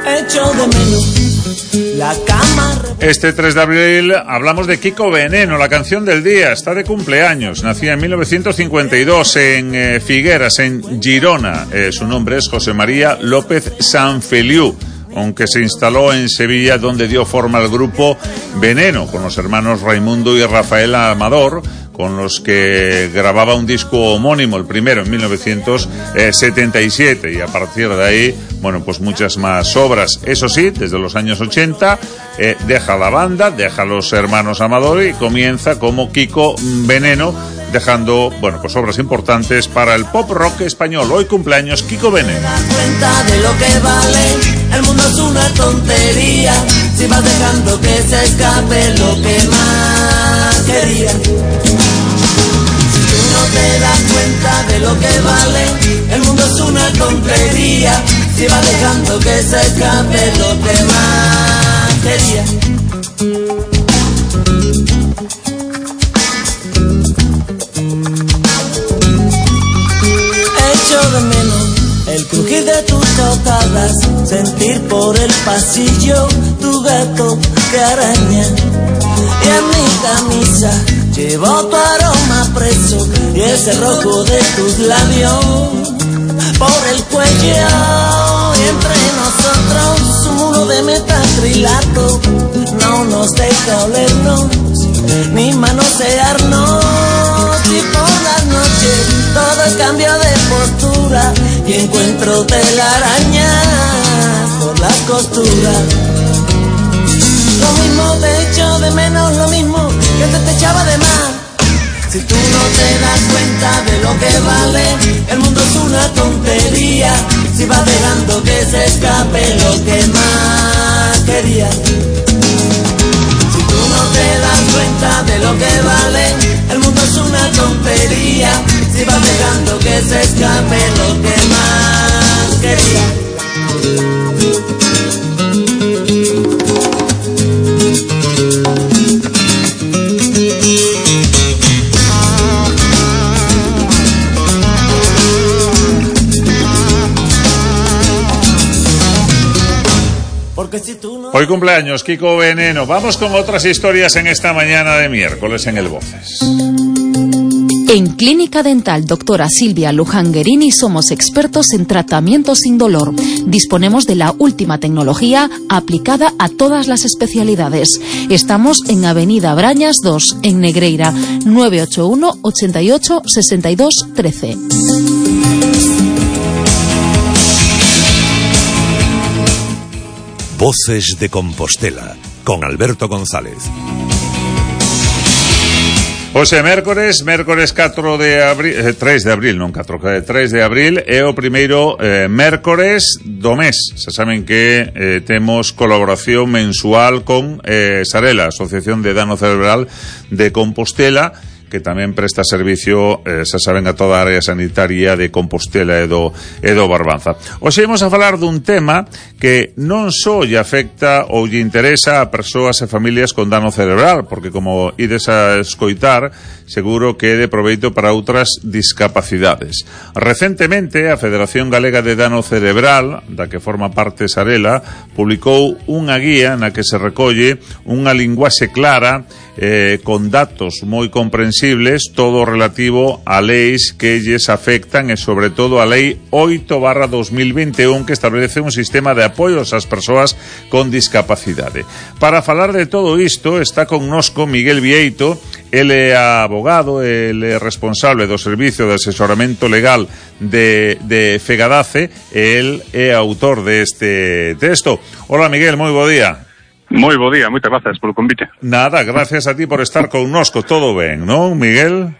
[SPEAKER 24] Echo de menos
[SPEAKER 1] La cama.
[SPEAKER 3] Este tres de abril hablamos de Kiko Veneno, la canción del día. Está de cumpleaños. Nacía en mil novecientos cincuenta y dos en eh, Figueras, en Girona. Eh, su nombre es José María López Sanfeliu, aunque se instaló en Sevilla, donde dio forma al grupo Veneno, con los hermanos Raimundo y Rafael Amador, con los que grababa un disco homónimo, el primero en mil novecientos setenta y siete, y a partir de ahí, bueno, pues muchas más obras. Eso sí, desde los años ochenta eh, deja la banda, deja a los hermanos Amador y comienza como Kiko Veneno, dejando, bueno, pues obras importantes para el pop rock español. Hoy cumpleaños Kiko Veneno.
[SPEAKER 1] Cuenta de lo que vale, el mundo es una tontería, si vas dejando que se escape lo que más querías. Si tú no te das cuenta de lo que vale, el mundo es una tontería, si vas dejando que se escape lo que más querías. Echo de menos el crujir de tus tocadas, sentir por el pasillo tu gato que araña. Y en mi camisa llevo tu aroma preso y ese rojo de tus labios por el cuello. Y entre nosotros un muro de metacrilato no nos deja olernos ni manosearnos. Y por las noches todo es cambio de postura y encuentro telarañas por las costuras. Lo mismo te echo de menos, lo mismo que te, te echaba de más. Si tú no te das cuenta de lo que vale, el mundo es una tontería, si vas dejando que se escape lo que más querías. Si tú no te das cuenta de lo que vale, el mundo es una tontería, si vas dejando que se escape lo que más querías.
[SPEAKER 3] Hoy cumpleaños Kiko Veneno. Vamos con otras historias en esta mañana de miércoles en el Voces.
[SPEAKER 4] En Clínica Dental Doctora Silvia Luján Guerini somos expertos en tratamiento sin dolor. Disponemos de la última tecnología aplicada a todas las especialidades. Estamos en Avenida Brañas dos, en Negreira, nueve ocho uno, ochenta y ocho, sesenta y dos, trece.
[SPEAKER 2] Voces de Compostela, con Alberto González.
[SPEAKER 3] Hoxe mércores, mércores catro de abril, eh, tres de abril, non catro, tres de abril, é o primeiro eh, mércores do mes. Se saben que eh, temos colaboración mensual con eh, Sarela, Asociación de Dano Cerebral de Compostela, que tamén presta servicio, eh, se saben, a toda a área sanitaria de Compostela e do, e do Barbanza. Hoxe vamos a falar dun tema que non só lle afecta ou lle interesa a persoas e familias con dano cerebral, porque como ides a escoitar, seguro que é de proveito para outras discapacidades. Recentemente, a Federación Galega de Dano Cerebral, da que forma parte Sarela, publicou unha guía na que se recolle unha linguaxe clara, eh, con datos moi comprensibles, todo relativo a leis que lles afectan e sobre todo a lei oito barra dos mil veintiún, que establece un sistema de apoios ás persoas con discapacidade. Para falar de todo isto está connosco Miguel Vieito. Ele é abogado, ele é responsable do Servicio de Asesoramento Legal de, de Fegadace, e el é autor deste texto. Hola Miguel, moi bo día.
[SPEAKER 5] Moi bo día, moitas grazas polo convite.
[SPEAKER 3] Nada, gracias a ti por estar connosco. Todo ben, non, Miguel?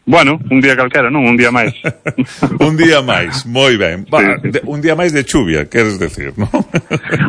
[SPEAKER 5] Bueno, un día calquera, non? Un día máis.
[SPEAKER 3] Un día máis, moi ben. Va, sí, sí. De, un día máis de chuvia, queres decir, non?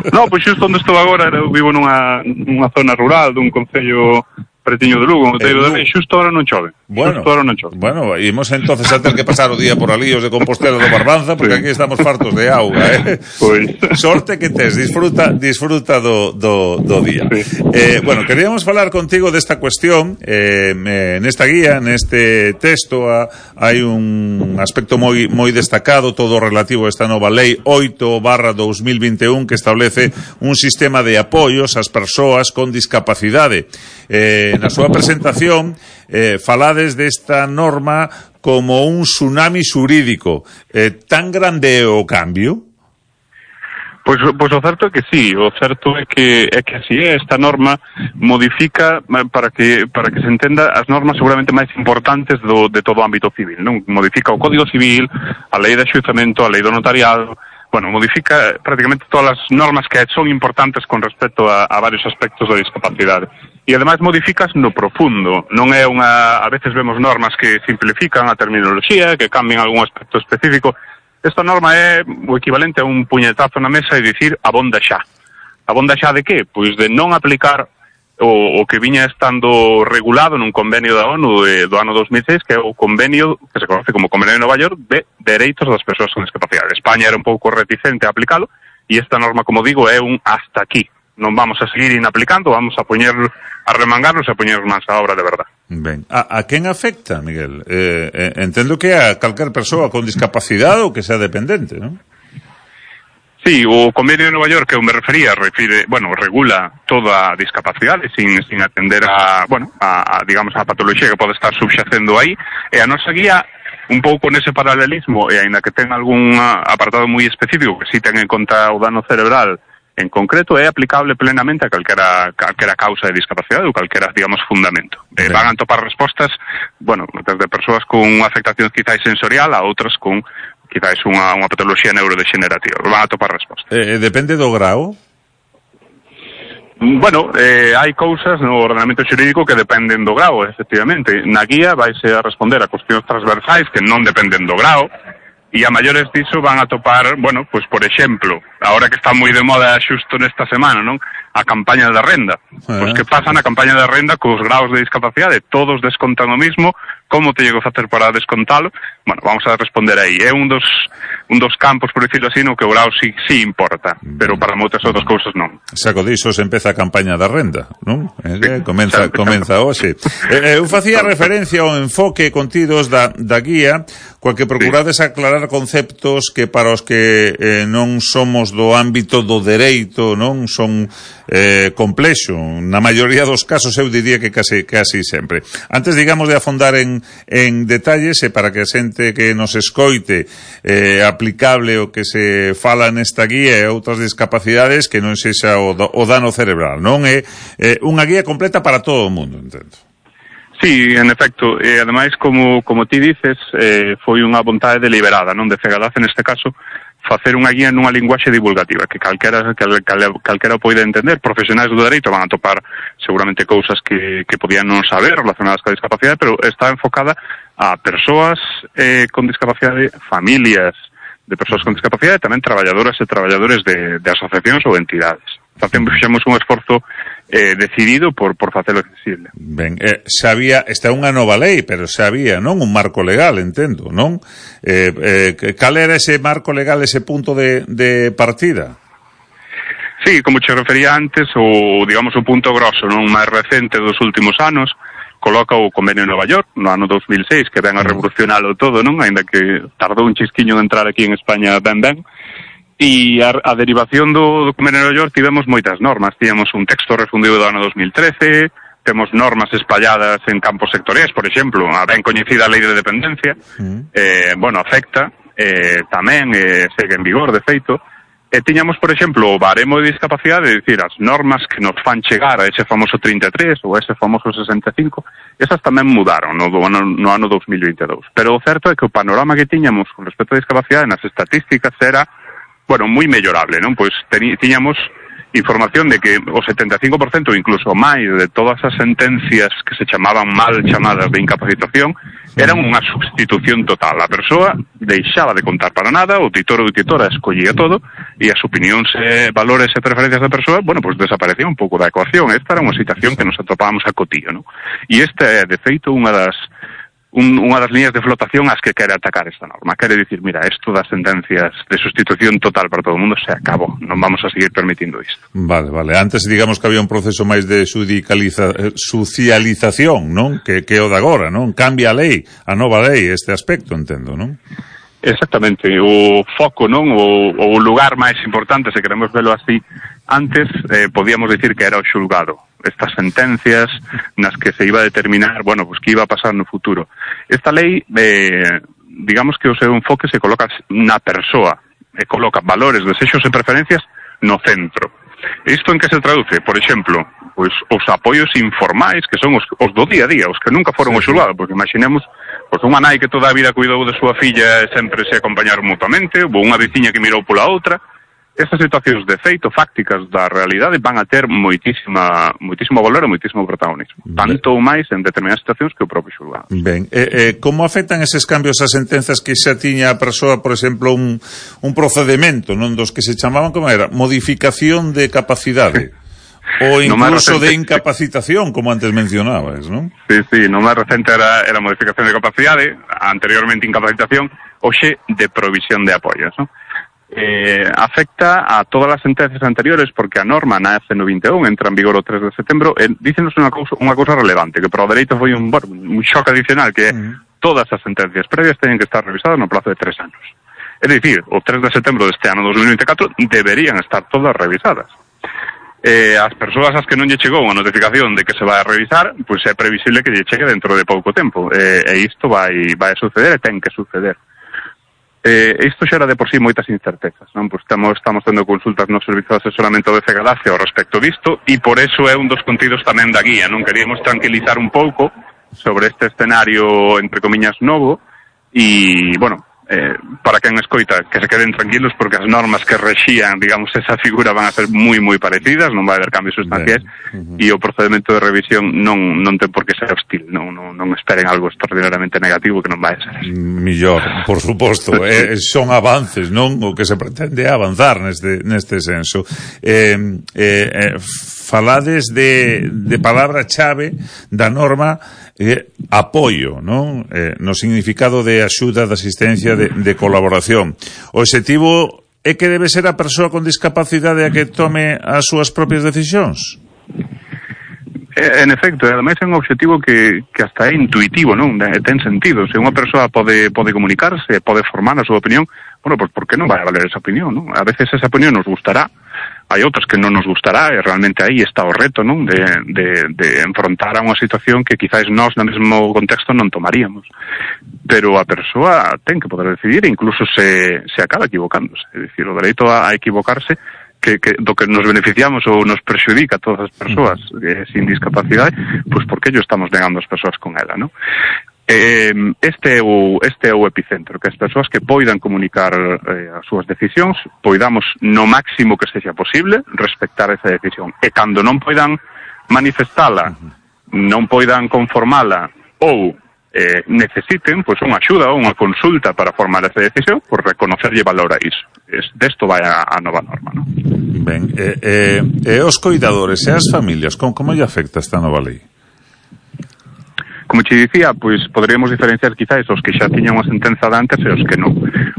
[SPEAKER 5] No, pois xusto onde estou agora, eu vivo nunha, nunha zona rural dun concello pretiño de Lugo, no Outeiro da Lei, xusto ahora non chove.
[SPEAKER 3] Bueno,
[SPEAKER 5] xusto ahora non chove.
[SPEAKER 3] Bueno, imos entonces a ter que pasar o día por alíos de Compostela do Barbanza, porque sí. Aquí estamos fartos de auga, eh?
[SPEAKER 5] Pois.
[SPEAKER 3] Sorte que tes, disfruta, disfruta do, do, do día. Sí. Eh, bueno, queríamos falar contigo desta cuestión, eh, nesta guía, neste texto, a, hai un aspecto moi, moi destacado, todo relativo a esta nova lei oito barra dos mil vinte e un, que establece un sistema de apoios ás persoas con discapacidade. Eh, na súa presentación eh, falades desta norma como un tsunami xurídico. Eh, tan grande é o cambio?
[SPEAKER 5] Pois, pois o certo é que sí, o certo é que é que así é, esta norma modifica para que para que se entenda as normas seguramente máis importantes do, de todo o ámbito civil, non? Modifica o Código Civil, a lei de axuizamento, a lei do notariado, bueno, modifica prácticamente todas as normas que son importantes con respecto a, a varios aspectos da discapacidade. E ademais modificas no profundo, non é unha, a veces vemos normas que simplifican a terminoloxía, que cambian algún aspecto específico. Esta norma é o equivalente a un puñetazo na mesa e dicir abonda xa. Abonda xa de que? Pois de non aplicar o, o que viña estando regulado nun convenio da ONU de, do ano dos mil seis, que é o convenio que se conoce como Convenio de Nova York de Dereitos das Persoas con Discapacidade. España era un pouco reticente a aplicalo e esta norma, como digo, é un hasta aquí. Non vamos a seguir inaplicando, vamos a poñer a remangarnos e a poñer máis a obra de verdad.
[SPEAKER 3] Ben, a, a quen afecta, Miguel? Eh, eh, entendo que a calquer persoa con discapacidade ou que sea dependente, non?
[SPEAKER 5] Sí, o Convenio de Nova York que eu me refería, refire, bueno, regula toda a discapacidade sin, sin atender a, bueno, a, a, digamos, a patoloxía que pode estar subxacendo aí, e a nosa guía un pouco nese paralelismo, e aínda que ten algún apartado moi específico que si ten en conta o dano cerebral en concreto, é aplicable plenamente a calquera, calquera causa de discapacidade ou calquera, digamos, fundamento. Eh, van a topar respostas, bueno, desde persoas con unha afectación quizás sensorial a outras con quizás unha, unha patoloxía neurodegenerativa. Van a topar respostas.
[SPEAKER 3] Eh, depende do grau?
[SPEAKER 5] Bueno, eh, hai cousas no ordenamento xurídico que dependen do grau, efectivamente. Na guía vaise a responder a cuestións transversais que non dependen do grau, e a maiores diso van a topar, bueno, pues por exemplo, ahora que está moi de moda xusto nesta semana, non? A campaña da renda. Eh. Pois que pasa na campaña da renda cos graus de discapacidade? Todos descontan o mismo, como te llego a facer para descontalo? Bueno, vamos a responder aí. É un dos un dos campos, por decirlo así, no que o grau sí, sí importa, pero para moitas outras cousas non.
[SPEAKER 3] Saco diso se empeza a campaña da renda, non? Eh, sí, comeza, comeza hoxe. Eh, eu facía referencia ao enfoque contidos da, da guía, coa que procurades sí. aclarar conceptos que para os que eh, non somos do ámbito do dereito, non? Son eh, complexo. Na maioría dos casos eu diría que casi, casi sempre. Antes, digamos, de afondar en, en detalles, e para que a xente que nos escoite eh, aplicable o que se fala nesta guía e outras discapacidades que non sexa o, o dano cerebral, non? É eh, unha guía completa para todo o mundo, entendo.
[SPEAKER 5] Sí, en efecto, e ademais, como, como ti dices, eh, foi unha vontade deliberada, non de Fegadaz, neste caso, facer unha guía nunha linguaxe divulgativa, que calquera, cal, cal, calquera poida entender. Profesionais do dereito van a topar seguramente cousas que, que podían non saber relacionadas coa discapacidade, pero está enfocada a persoas eh, con discapacidade, familias de persoas con discapacidade, e tamén traballadoras e traballadores de, de asociacións ou entidades. Facemos, fixemos un esforzo eh, decidido por, por facelo accesible.
[SPEAKER 3] Ben, eh, xa había, esta é unha nova lei, pero xa había, non? Un marco legal, entendo, non? Eh, eh, cal era ese marco legal, ese punto de, de partida?
[SPEAKER 5] Sí, como che refería antes, o, digamos, o punto grosso, non? Máis recente dos últimos anos, coloca o Convenio de Nova York, no ano dos mil seis, que ven a revolucionalo todo, non? Ainda que tardou un chisquiño de entrar aquí en España ben ben. E a, a derivación do, do Convenio de Nova York tivemos moitas normas. Tíamos un texto refundido do ano dos mil trece, temos normas espalladas en campos sectoriais, por exemplo, a ben coñecida Lei de Dependencia, mm. eh, bueno, afecta, eh, tamén eh, segue en vigor, de feito, e tiñamos, por exemplo, o baremo de discapacidade, é dicir, as normas que nos fan chegar a ese famoso trinta e tres ou a ese famoso sesenta e cinco, esas tamén mudaron no, no, no ano dos mil vinte e dous. Pero o certo é que o panorama que tiñamos con respecto á discapacidade nas estatísticas era, bueno, moi mellorable, non? Pois tiñamos información de que o setenta e cinco por cento, incluso máis, de todas as sentencias que se chamaban mal chamadas de incapacitación eran unha substitución total. A persoa deixaba de contar para nada, o titor ou titora escollía todo e as opinións, eh, valores e preferencias da persoa, bueno, pues desaparecía un pouco da ecuación. Esta era unha situación que nos atopábamos a cotío, ¿no? E esta é, de feito, unha das Un, unha das líneas de flotación ás que quere atacar esta norma. Quere dicir, mira, isto das sentencias de sustitución total para todo o mundo se acabou. Non vamos a seguir permitindo isto.
[SPEAKER 3] Vale, vale. Antes, digamos que había un proceso máis de sudicaliza, socialización, non? Que, que o de agora, non? Cambia a lei, a nova lei, este aspecto, entendo, non?
[SPEAKER 5] Exactamente. O foco, non? O, o lugar máis importante, se queremos velo así, antes eh, podíamos decir que era o xulgado. Estas sentencias nas que se iba a determinar, bueno, pues que iba a pasar no futuro. Esta lei, eh, digamos que o seu enfoque se coloca na persoa, e coloca valores, desexos e preferencias no centro. Isto en que se traduce? Por exemplo, pues, os apoios informais, que son os, os do día a día, os que nunca foron sí, o xulgado, porque imaginemos pues, unha nai que toda a vida cuidou de súa filla e sempre se acompañaron mutuamente, ou unha veciña que mirou pola outra. Estas situacións de feito fácticas da realidade van a ter moitísima, moitísimo valor e moitísimo protagonismo. Tanto ou máis en determinadas situacións que o propio xulgado.
[SPEAKER 3] Ben, eh, eh, como afectan eses cambios as sentenzas que xa tiña a persoa, por exemplo, un, un procedimento, non dos que se chamaban, como era, modificación de capacidade? Ou incluso no de incapacitación, como antes mencionabas, non?
[SPEAKER 5] Sí, sí, no máis recente era, era modificación de capacidade, anteriormente incapacitación, hoxe de provisión de apoios, non? Eh, afecta a todas as sentencias anteriores porque a norma nace no vinte e un, entra en vigor o tres de setembro, e dícenos unha cousa, unha cousa relevante, que para o dereito foi un, bueno, un xoque adicional, que uh-huh. todas as sentencias previas teñen que estar revisadas no plazo de tres anos. É dicir, o tres de setembro deste ano dos mil vinte e catro deberían estar todas revisadas. Eh, as persoas ás que non lle chegou unha notificación de que se vai a revisar, pois pues é previsible que lle chegue dentro de pouco tempo, eh, e isto vai, vai a suceder e ten que suceder. Eh, isto xera de por sí moitas incertezas, non? Pues estamos, estamos tendo consultas no servizo de asesoramento de Fegadacia ao respecto disto, e por eso é un dos contidos tamén da guía, non? Queríamos tranquilizar un pouco sobre este escenario, entre comiñas, novo, e, bueno, eh, para quen escoita, que se queden tranquilos porque as normas que rexían, digamos, esa figura van a ser moi, moi parecidas, non vai haber cambios sustanciais, uh-huh. e o procedimento de revisión non, non ten por que ser hostil, non, non, non esperen algo extraordinariamente negativo que non vai ser así.
[SPEAKER 3] Millor, por suposto, eh, son avances, non? O que se pretende avanzar neste, neste senso. Eh, eh, eh, falades de, de palabra chave da norma eh, apoio, non? Eh, no significado de axuda, de asistencia, de, de colaboración. O objetivo é que debe ser a persoa con discapacidade a que tome as súas propias decisións?
[SPEAKER 5] En efecto, ademais é un objetivo que, que hasta é intuitivo, non? Ten sentido. Se unha persoa pode, pode comunicarse, pode formar a súa opinión, bueno, pues por que non vai a valer esa opinión, non? A veces esa opinión nos gustará, hai outras que non nos gustará, e realmente aí está o reto, non? De, de, de enfrontar a unha situación que quizás nós no mesmo contexto non tomaríamos. Pero a persoa ten que poder decidir e incluso se, se acaba equivocándose. É dicir, o dereito a, a equivocarse que, que do que nos beneficiamos ou nos prexudica a todas as persoas eh, sin discapacidade, pois pues porque ello estamos negando as persoas con ela, non? Eh, este, é o, este é o epicentro, que as persoas que poidan comunicar eh, as súas decisións, poidamos no máximo que sexa posible respectar esa decisión, e cando non poidan manifestala, non poidan conformala ou eh, necesiten pois unha axuda ou unha consulta para formar esa decisión, pois reconocerlle valor a iso. Es, desto vai a, a nova norma, non?
[SPEAKER 3] Ben, eh, eh, e os coidadores e as familias, como, como lle afecta esta nova lei?
[SPEAKER 5] Como che dicía, pois poderíamos diferenciar quizás os que xa tiñan unha sentenza de antes e os que non.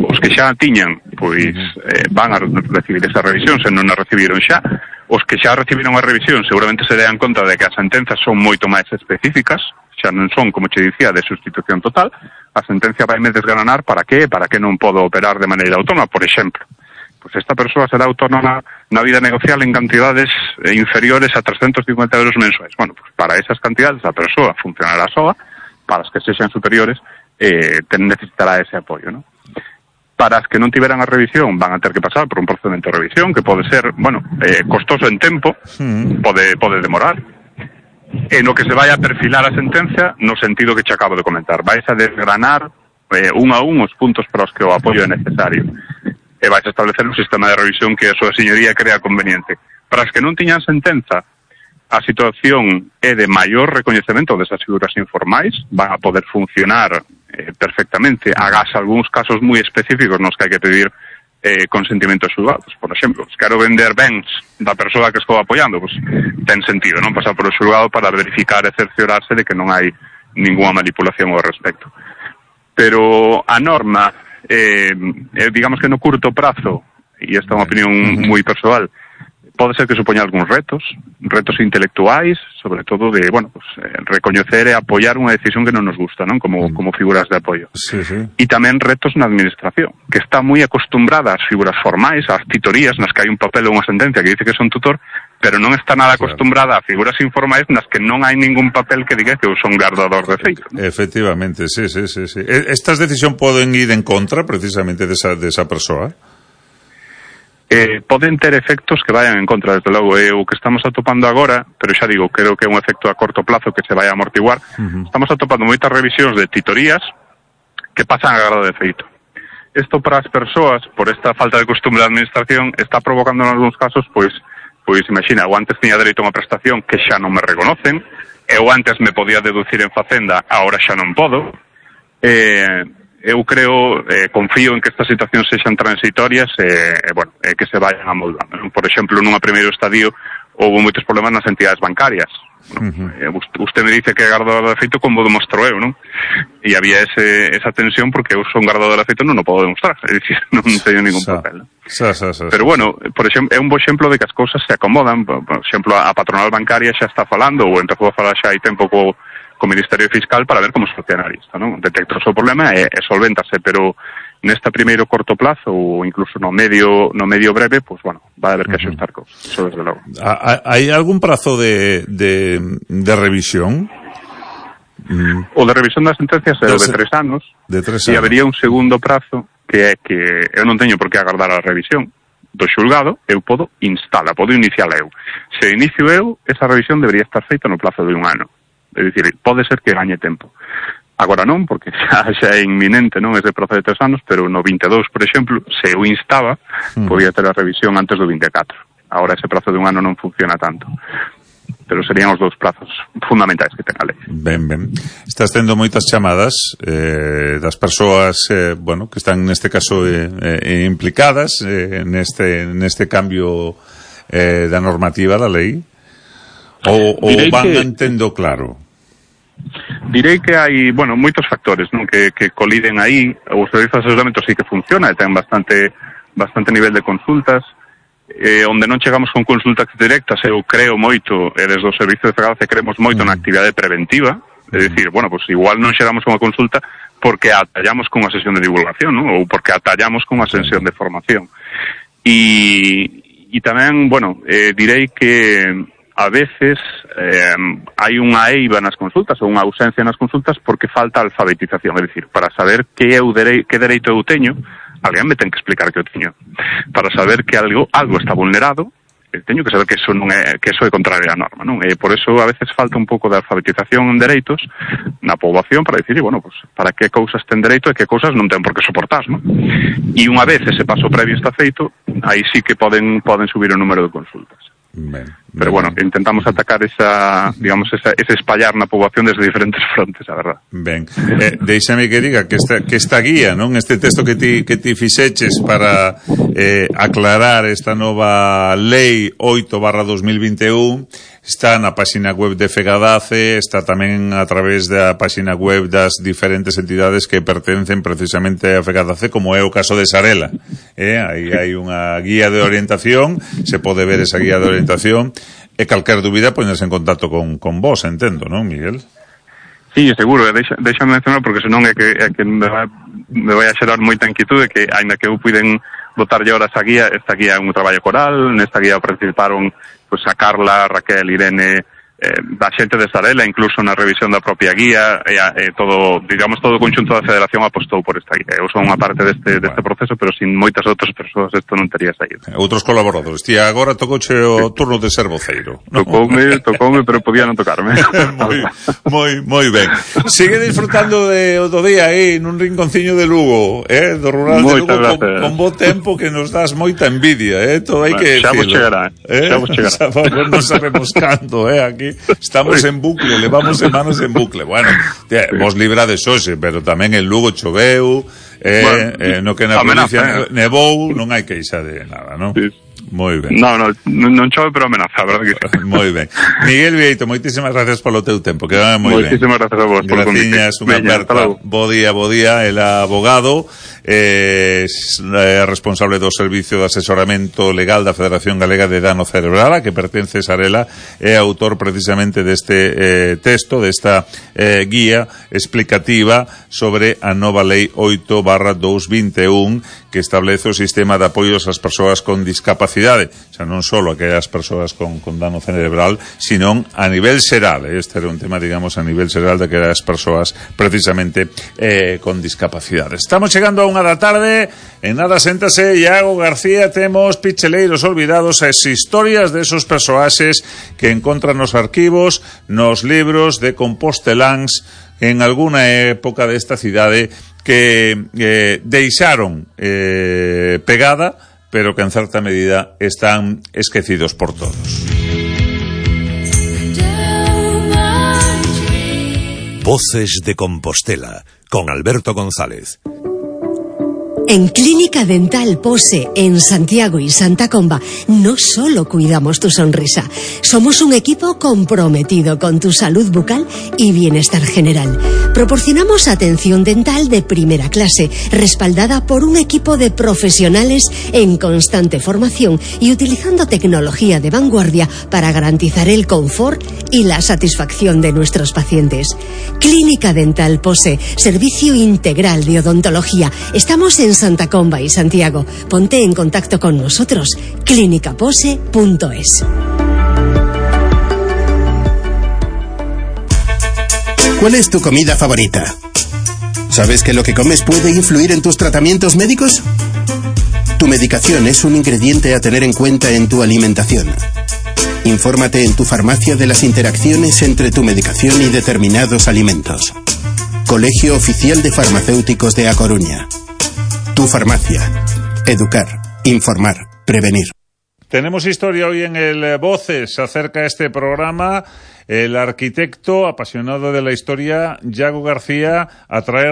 [SPEAKER 5] Os que xa tiñan, pois eh, van a recibir esa revisión, se non a recibiron xa. Os que xa recibiron a revisión seguramente se dean conta de que as sentenzas son moito máis específicas, xa non son, como che dicía, de sustitución total. A sentencia vai me desgranar para que, para que non podo operar de maneira autónoma, por exemplo. Pois esta persoa será autónoma na vida negocial en cantidades inferiores a trescentos cincuenta euros mensuais. Bueno, pues para esas cantidades a persoa funcionará soa, para as que sexan superiores eh, necesitará ese apoio, ¿no? Para as que non tiveran a revisión van a ter que pasar por un procedimento de revisión que pode ser, bueno, eh, costoso en tempo, mm. pode, pode demorar, e no que se vai a perfilar a sentencia no sentido que che acabo de comentar. Vais a desgranar eh, un a un os puntos para os que o apoio é necesario. E vais a establecer un sistema de revisión que a súa señoría crea conveniente. Para as que non tiñan sentenza, a situación é de maior recoñecemento desas figuras informais, van a poder funcionar eh, perfectamente, agás algúns casos moi específicos nos que hai que pedir eh, consentimientos xulgados. Por exemplo, se quero vender bens da persoa que estou apoiando, pues, ten sentido non pasar por o xulgado para verificar e cerciorarse de que non hai ninguna manipulación ao respecto. Pero a norma, eh, eh, digamos que no curto prazo, e esta é unha opinión moi persoal, pode ser que supoña algúns retos, retos intelectuais, sobre todo de, bueno, pues, eh, recoñecer e apoiar unha decisión que non nos gusta, non? Como, como figuras de apoio.
[SPEAKER 3] Sí, sí.
[SPEAKER 5] E tamén retos na administración, que está moi acostumbrada ás figuras formais, ás titorías, nas que hai un papel ou unha sentencia que dice que son tutor, pero non está nada acostumbrada a figuras informais nas que non hai ningún papel que diga que eu son guardador de feito, ¿no?
[SPEAKER 3] Efectivamente, sí, sí, sí, sí. Estas decisións poden ir en contra precisamente desa, desa persoa?
[SPEAKER 5] Eh, poden ter efectos que vayan en contra, desde logo. É o que estamos atopando agora, pero xa digo, creo que é un efecto a corto plazo que se vai a amortiguar. Uh-huh. Estamos atopando moitas revisións de titorías que pasan a grado de feito. Isto para as persoas, por esta falta de costumbre da administración, está provocando en algúns casos, pois, pois imagina, eu antes tiña dereito a unha prestación que xa non me reconocen, eu antes me podía deducir en Facenda, agora xa non podo. Eh... Eu creo, eh, confío en que estas situacións sexan transitorias e, eh, bueno, eh, que se vayan amoldando. Por exemplo, nunha primeiro estadio houve moitos problemas nas entidades bancarias. ¿No? Uh-huh. Eh, usted me dice que é guardador de feito como demostro eu, non? E había ese, esa tensión porque eu son guardador de feito non o podo demostrar, é dicir, non teño ningún sa, papel. ¿No?
[SPEAKER 3] Sa, sa, sa,
[SPEAKER 5] Pero bueno, por exemplo, é un bo exemplo de que as cousas se acomodan. Por exemplo, a patronal bancaria xa está falando, ou empezou a falar xa hai tempo co co Ministerio Fiscal para ver como solucionar isto, non? Detecta o seu problema e, e solvéntase, pero nesta primeiro corto plazo ou incluso no medio no medio breve, pues bueno, va a haber que axustar cousas, eso desde logo.
[SPEAKER 3] Hai algún prazo de, de, de revisión?
[SPEAKER 5] Mm. O de revisión das sentencias é o de tres anos,
[SPEAKER 3] de tres
[SPEAKER 5] anos. E habería un segundo prazo que é que eu non teño por que agardar a revisión do xulgado, eu podo instala, podo iniciala eu. Se inicio eu, esa revisión debería estar feita no plazo de un ano. É dicir, pode ser que gañe tempo. Agora non, porque xa, xa é inminente, non, ese prazo de tres anos, pero no vinte e dous, por exemplo, se eu instaba, mm. podía ter a revisión antes do vinte e catro. Agora ese prazo de un ano non funciona tanto. Pero serían os dous plazos fundamentais que ten a lei.
[SPEAKER 3] Ben, ben. Estás tendo moitas chamadas eh, das persoas, eh, bueno, que están neste caso eh, eh, implicadas eh, neste, neste cambio eh, da normativa da lei, ou, ou van que... entendo claro?
[SPEAKER 5] Direi que hai, bueno, moitos factores, non, que, que coliden aí. O servizo de asesoramento sí que funciona, e ten bastante bastante nivel de consultas, eh, onde non chegamos con consultas directas, eu creo moito, e desde o servizo de Fegadace creemos moito mm. na actividade preventiva, é dicir, bueno, pues igual non chegamos con unha consulta porque atallamos con unha sesión de divulgación, non? Ou porque atallamos con unha sesión de formación. E, e tamén, bueno, eh, direi que a veces eh, hai unha eiva nas consultas ou unha ausencia nas consultas porque falta alfabetización, é dicir, para saber que eu derei, que dereito eu teño, alguén me ten que explicar que eu teño. Para saber que algo algo está vulnerado, teño que saber que eso non é que eso é contrario á norma, non? E por eso a veces falta un pouco de alfabetización en dereitos na poboación para dicir, bueno, pues para que cousas ten dereito e que cousas non ten por que soportar, non? E unha vez ese paso previo está feito, aí sí que poden poden subir o número de consultas.
[SPEAKER 3] Ben,
[SPEAKER 5] pero bueno, intentamos atacar esa, digamos, esa, ese espallar na poboación desde diferentes frontes, a verdad.
[SPEAKER 3] Ben, eh, deixame que diga que esta, que esta guía, non? Este texto que ti, que ti fixeches para eh, aclarar esta nova lei oito barra dos mil vinte e un está na página web de Fegadace, está tamén a través da página web das diferentes entidades que pertencen precisamente a Fegadace, como é o caso de Sarela. Eh? Aí hai unha guía de orientación, se pode ver esa guía de orientación, e calquer dúbida poñerse en contacto con, con vos, entendo, non, Miguel?
[SPEAKER 5] Sí, seguro, deixa, deixa mencionar, porque senón é que, é que me, vai, me vai a xerar moita inquietude que, ainda que eu puiden botarlle horas a guía, esta guía é un traballo coral, nesta guía participaron pues, a Carla, Raquel, Irene, eh, da xente de Sarela, incluso na revisión da propia guía, e, e todo, digamos, todo o conxunto da Federación apostou por esta guía. Eu son unha parte deste, deste proceso, pero sin moitas outras persoas isto non tería saído.
[SPEAKER 3] Outros colaboradores. Tía, agora tocouche o turno de ser voceiro. ¿No?
[SPEAKER 5] Tocoume, tocoume, pero podía non tocarme.
[SPEAKER 3] moi, moi, moi ben. Sigue disfrutando de, do día aí nun rinconciño de Lugo, eh, do rural de Lugo, con, con bo tempo que nos das moita envidia, eh, todo hai que
[SPEAKER 5] xa vos chegará,
[SPEAKER 3] eh,
[SPEAKER 5] xa vos chegará.
[SPEAKER 3] Non sabemos canto, eh, aquí estamos en bucle, levamos semanas en bucle. Bueno, tía, vos librades hoxe, pero tamén en Lugo choveu, eh, bueno, eh, no que na provincia nevou, non hai queixa de nada, non?
[SPEAKER 5] Sí.
[SPEAKER 3] Moi ben.
[SPEAKER 5] No, no, non chove, pero amenaza, a verdade que sí.
[SPEAKER 3] Moi ben. Miguel Vieito, moitísimas gracias polo teu tempo, que va moi ben.
[SPEAKER 5] Moitísimas gracias a vos por convite.
[SPEAKER 3] Graciñas, unha aperta. Bo día, bo día, el abogado, eh, responsable do Servicio de Asesoramento Legal da Federación Galega de Dano Cerebral, a que pertence Sarela, é autor precisamente deste eh, texto, desta eh, guía explicativa sobre a nova Lei oito barra dous mil vinte e un, que establece o sistema de apoios ás persoas con discapacidade, xa non só aquelas persoas con, con dano cerebral, sino a nivel xeral. Este era un tema, digamos, a nivel xeral de aquelas persoas precisamente eh, con discapacidade. Estamos chegando a unha da tarde, en nada séntase Iago García, temos Picheleiros Olvidados, as historias de esos persoaxes que encontran nos arquivos, nos libros de composteláns en alguna época desta cidade que eh, deixaron eh, pegada, pero que en certa medida están esquecidos por todos.
[SPEAKER 2] Voces de Compostela, con Alberto González.
[SPEAKER 6] En Clínica Dental Pose, en Santiago y Santa Comba, no solo cuidamos tu sonrisa, somos un equipo comprometido con tu salud bucal y bienestar general. Proporcionamos atención dental de primera clase, respaldada por un equipo de profesionales en constante formación y utilizando tecnología de vanguardia para garantizar el confort y la satisfacción de nuestros pacientes. Clínica Dental Pose, servicio integral de odontología. Estamos en Santa Comba y Santiago. Ponte en contacto con nosotros. clínica pose punto es.
[SPEAKER 23] ¿Cuál es tu comida favorita? ¿Sabes que lo que comes puede influir en tus tratamientos médicos? Tu medicación es un ingrediente a tener en cuenta en tu alimentación. Infórmate en tu farmacia de las interacciones entre tu medicación y determinados alimentos. Colegio Oficial de Farmacéuticos de A Coruña. Tu farmacia. Educar, informar, prevenir.
[SPEAKER 3] Tenemos historia hoy en el Voces acerca de este programa. El arquitecto apasionado de la historia, Iago García, a traer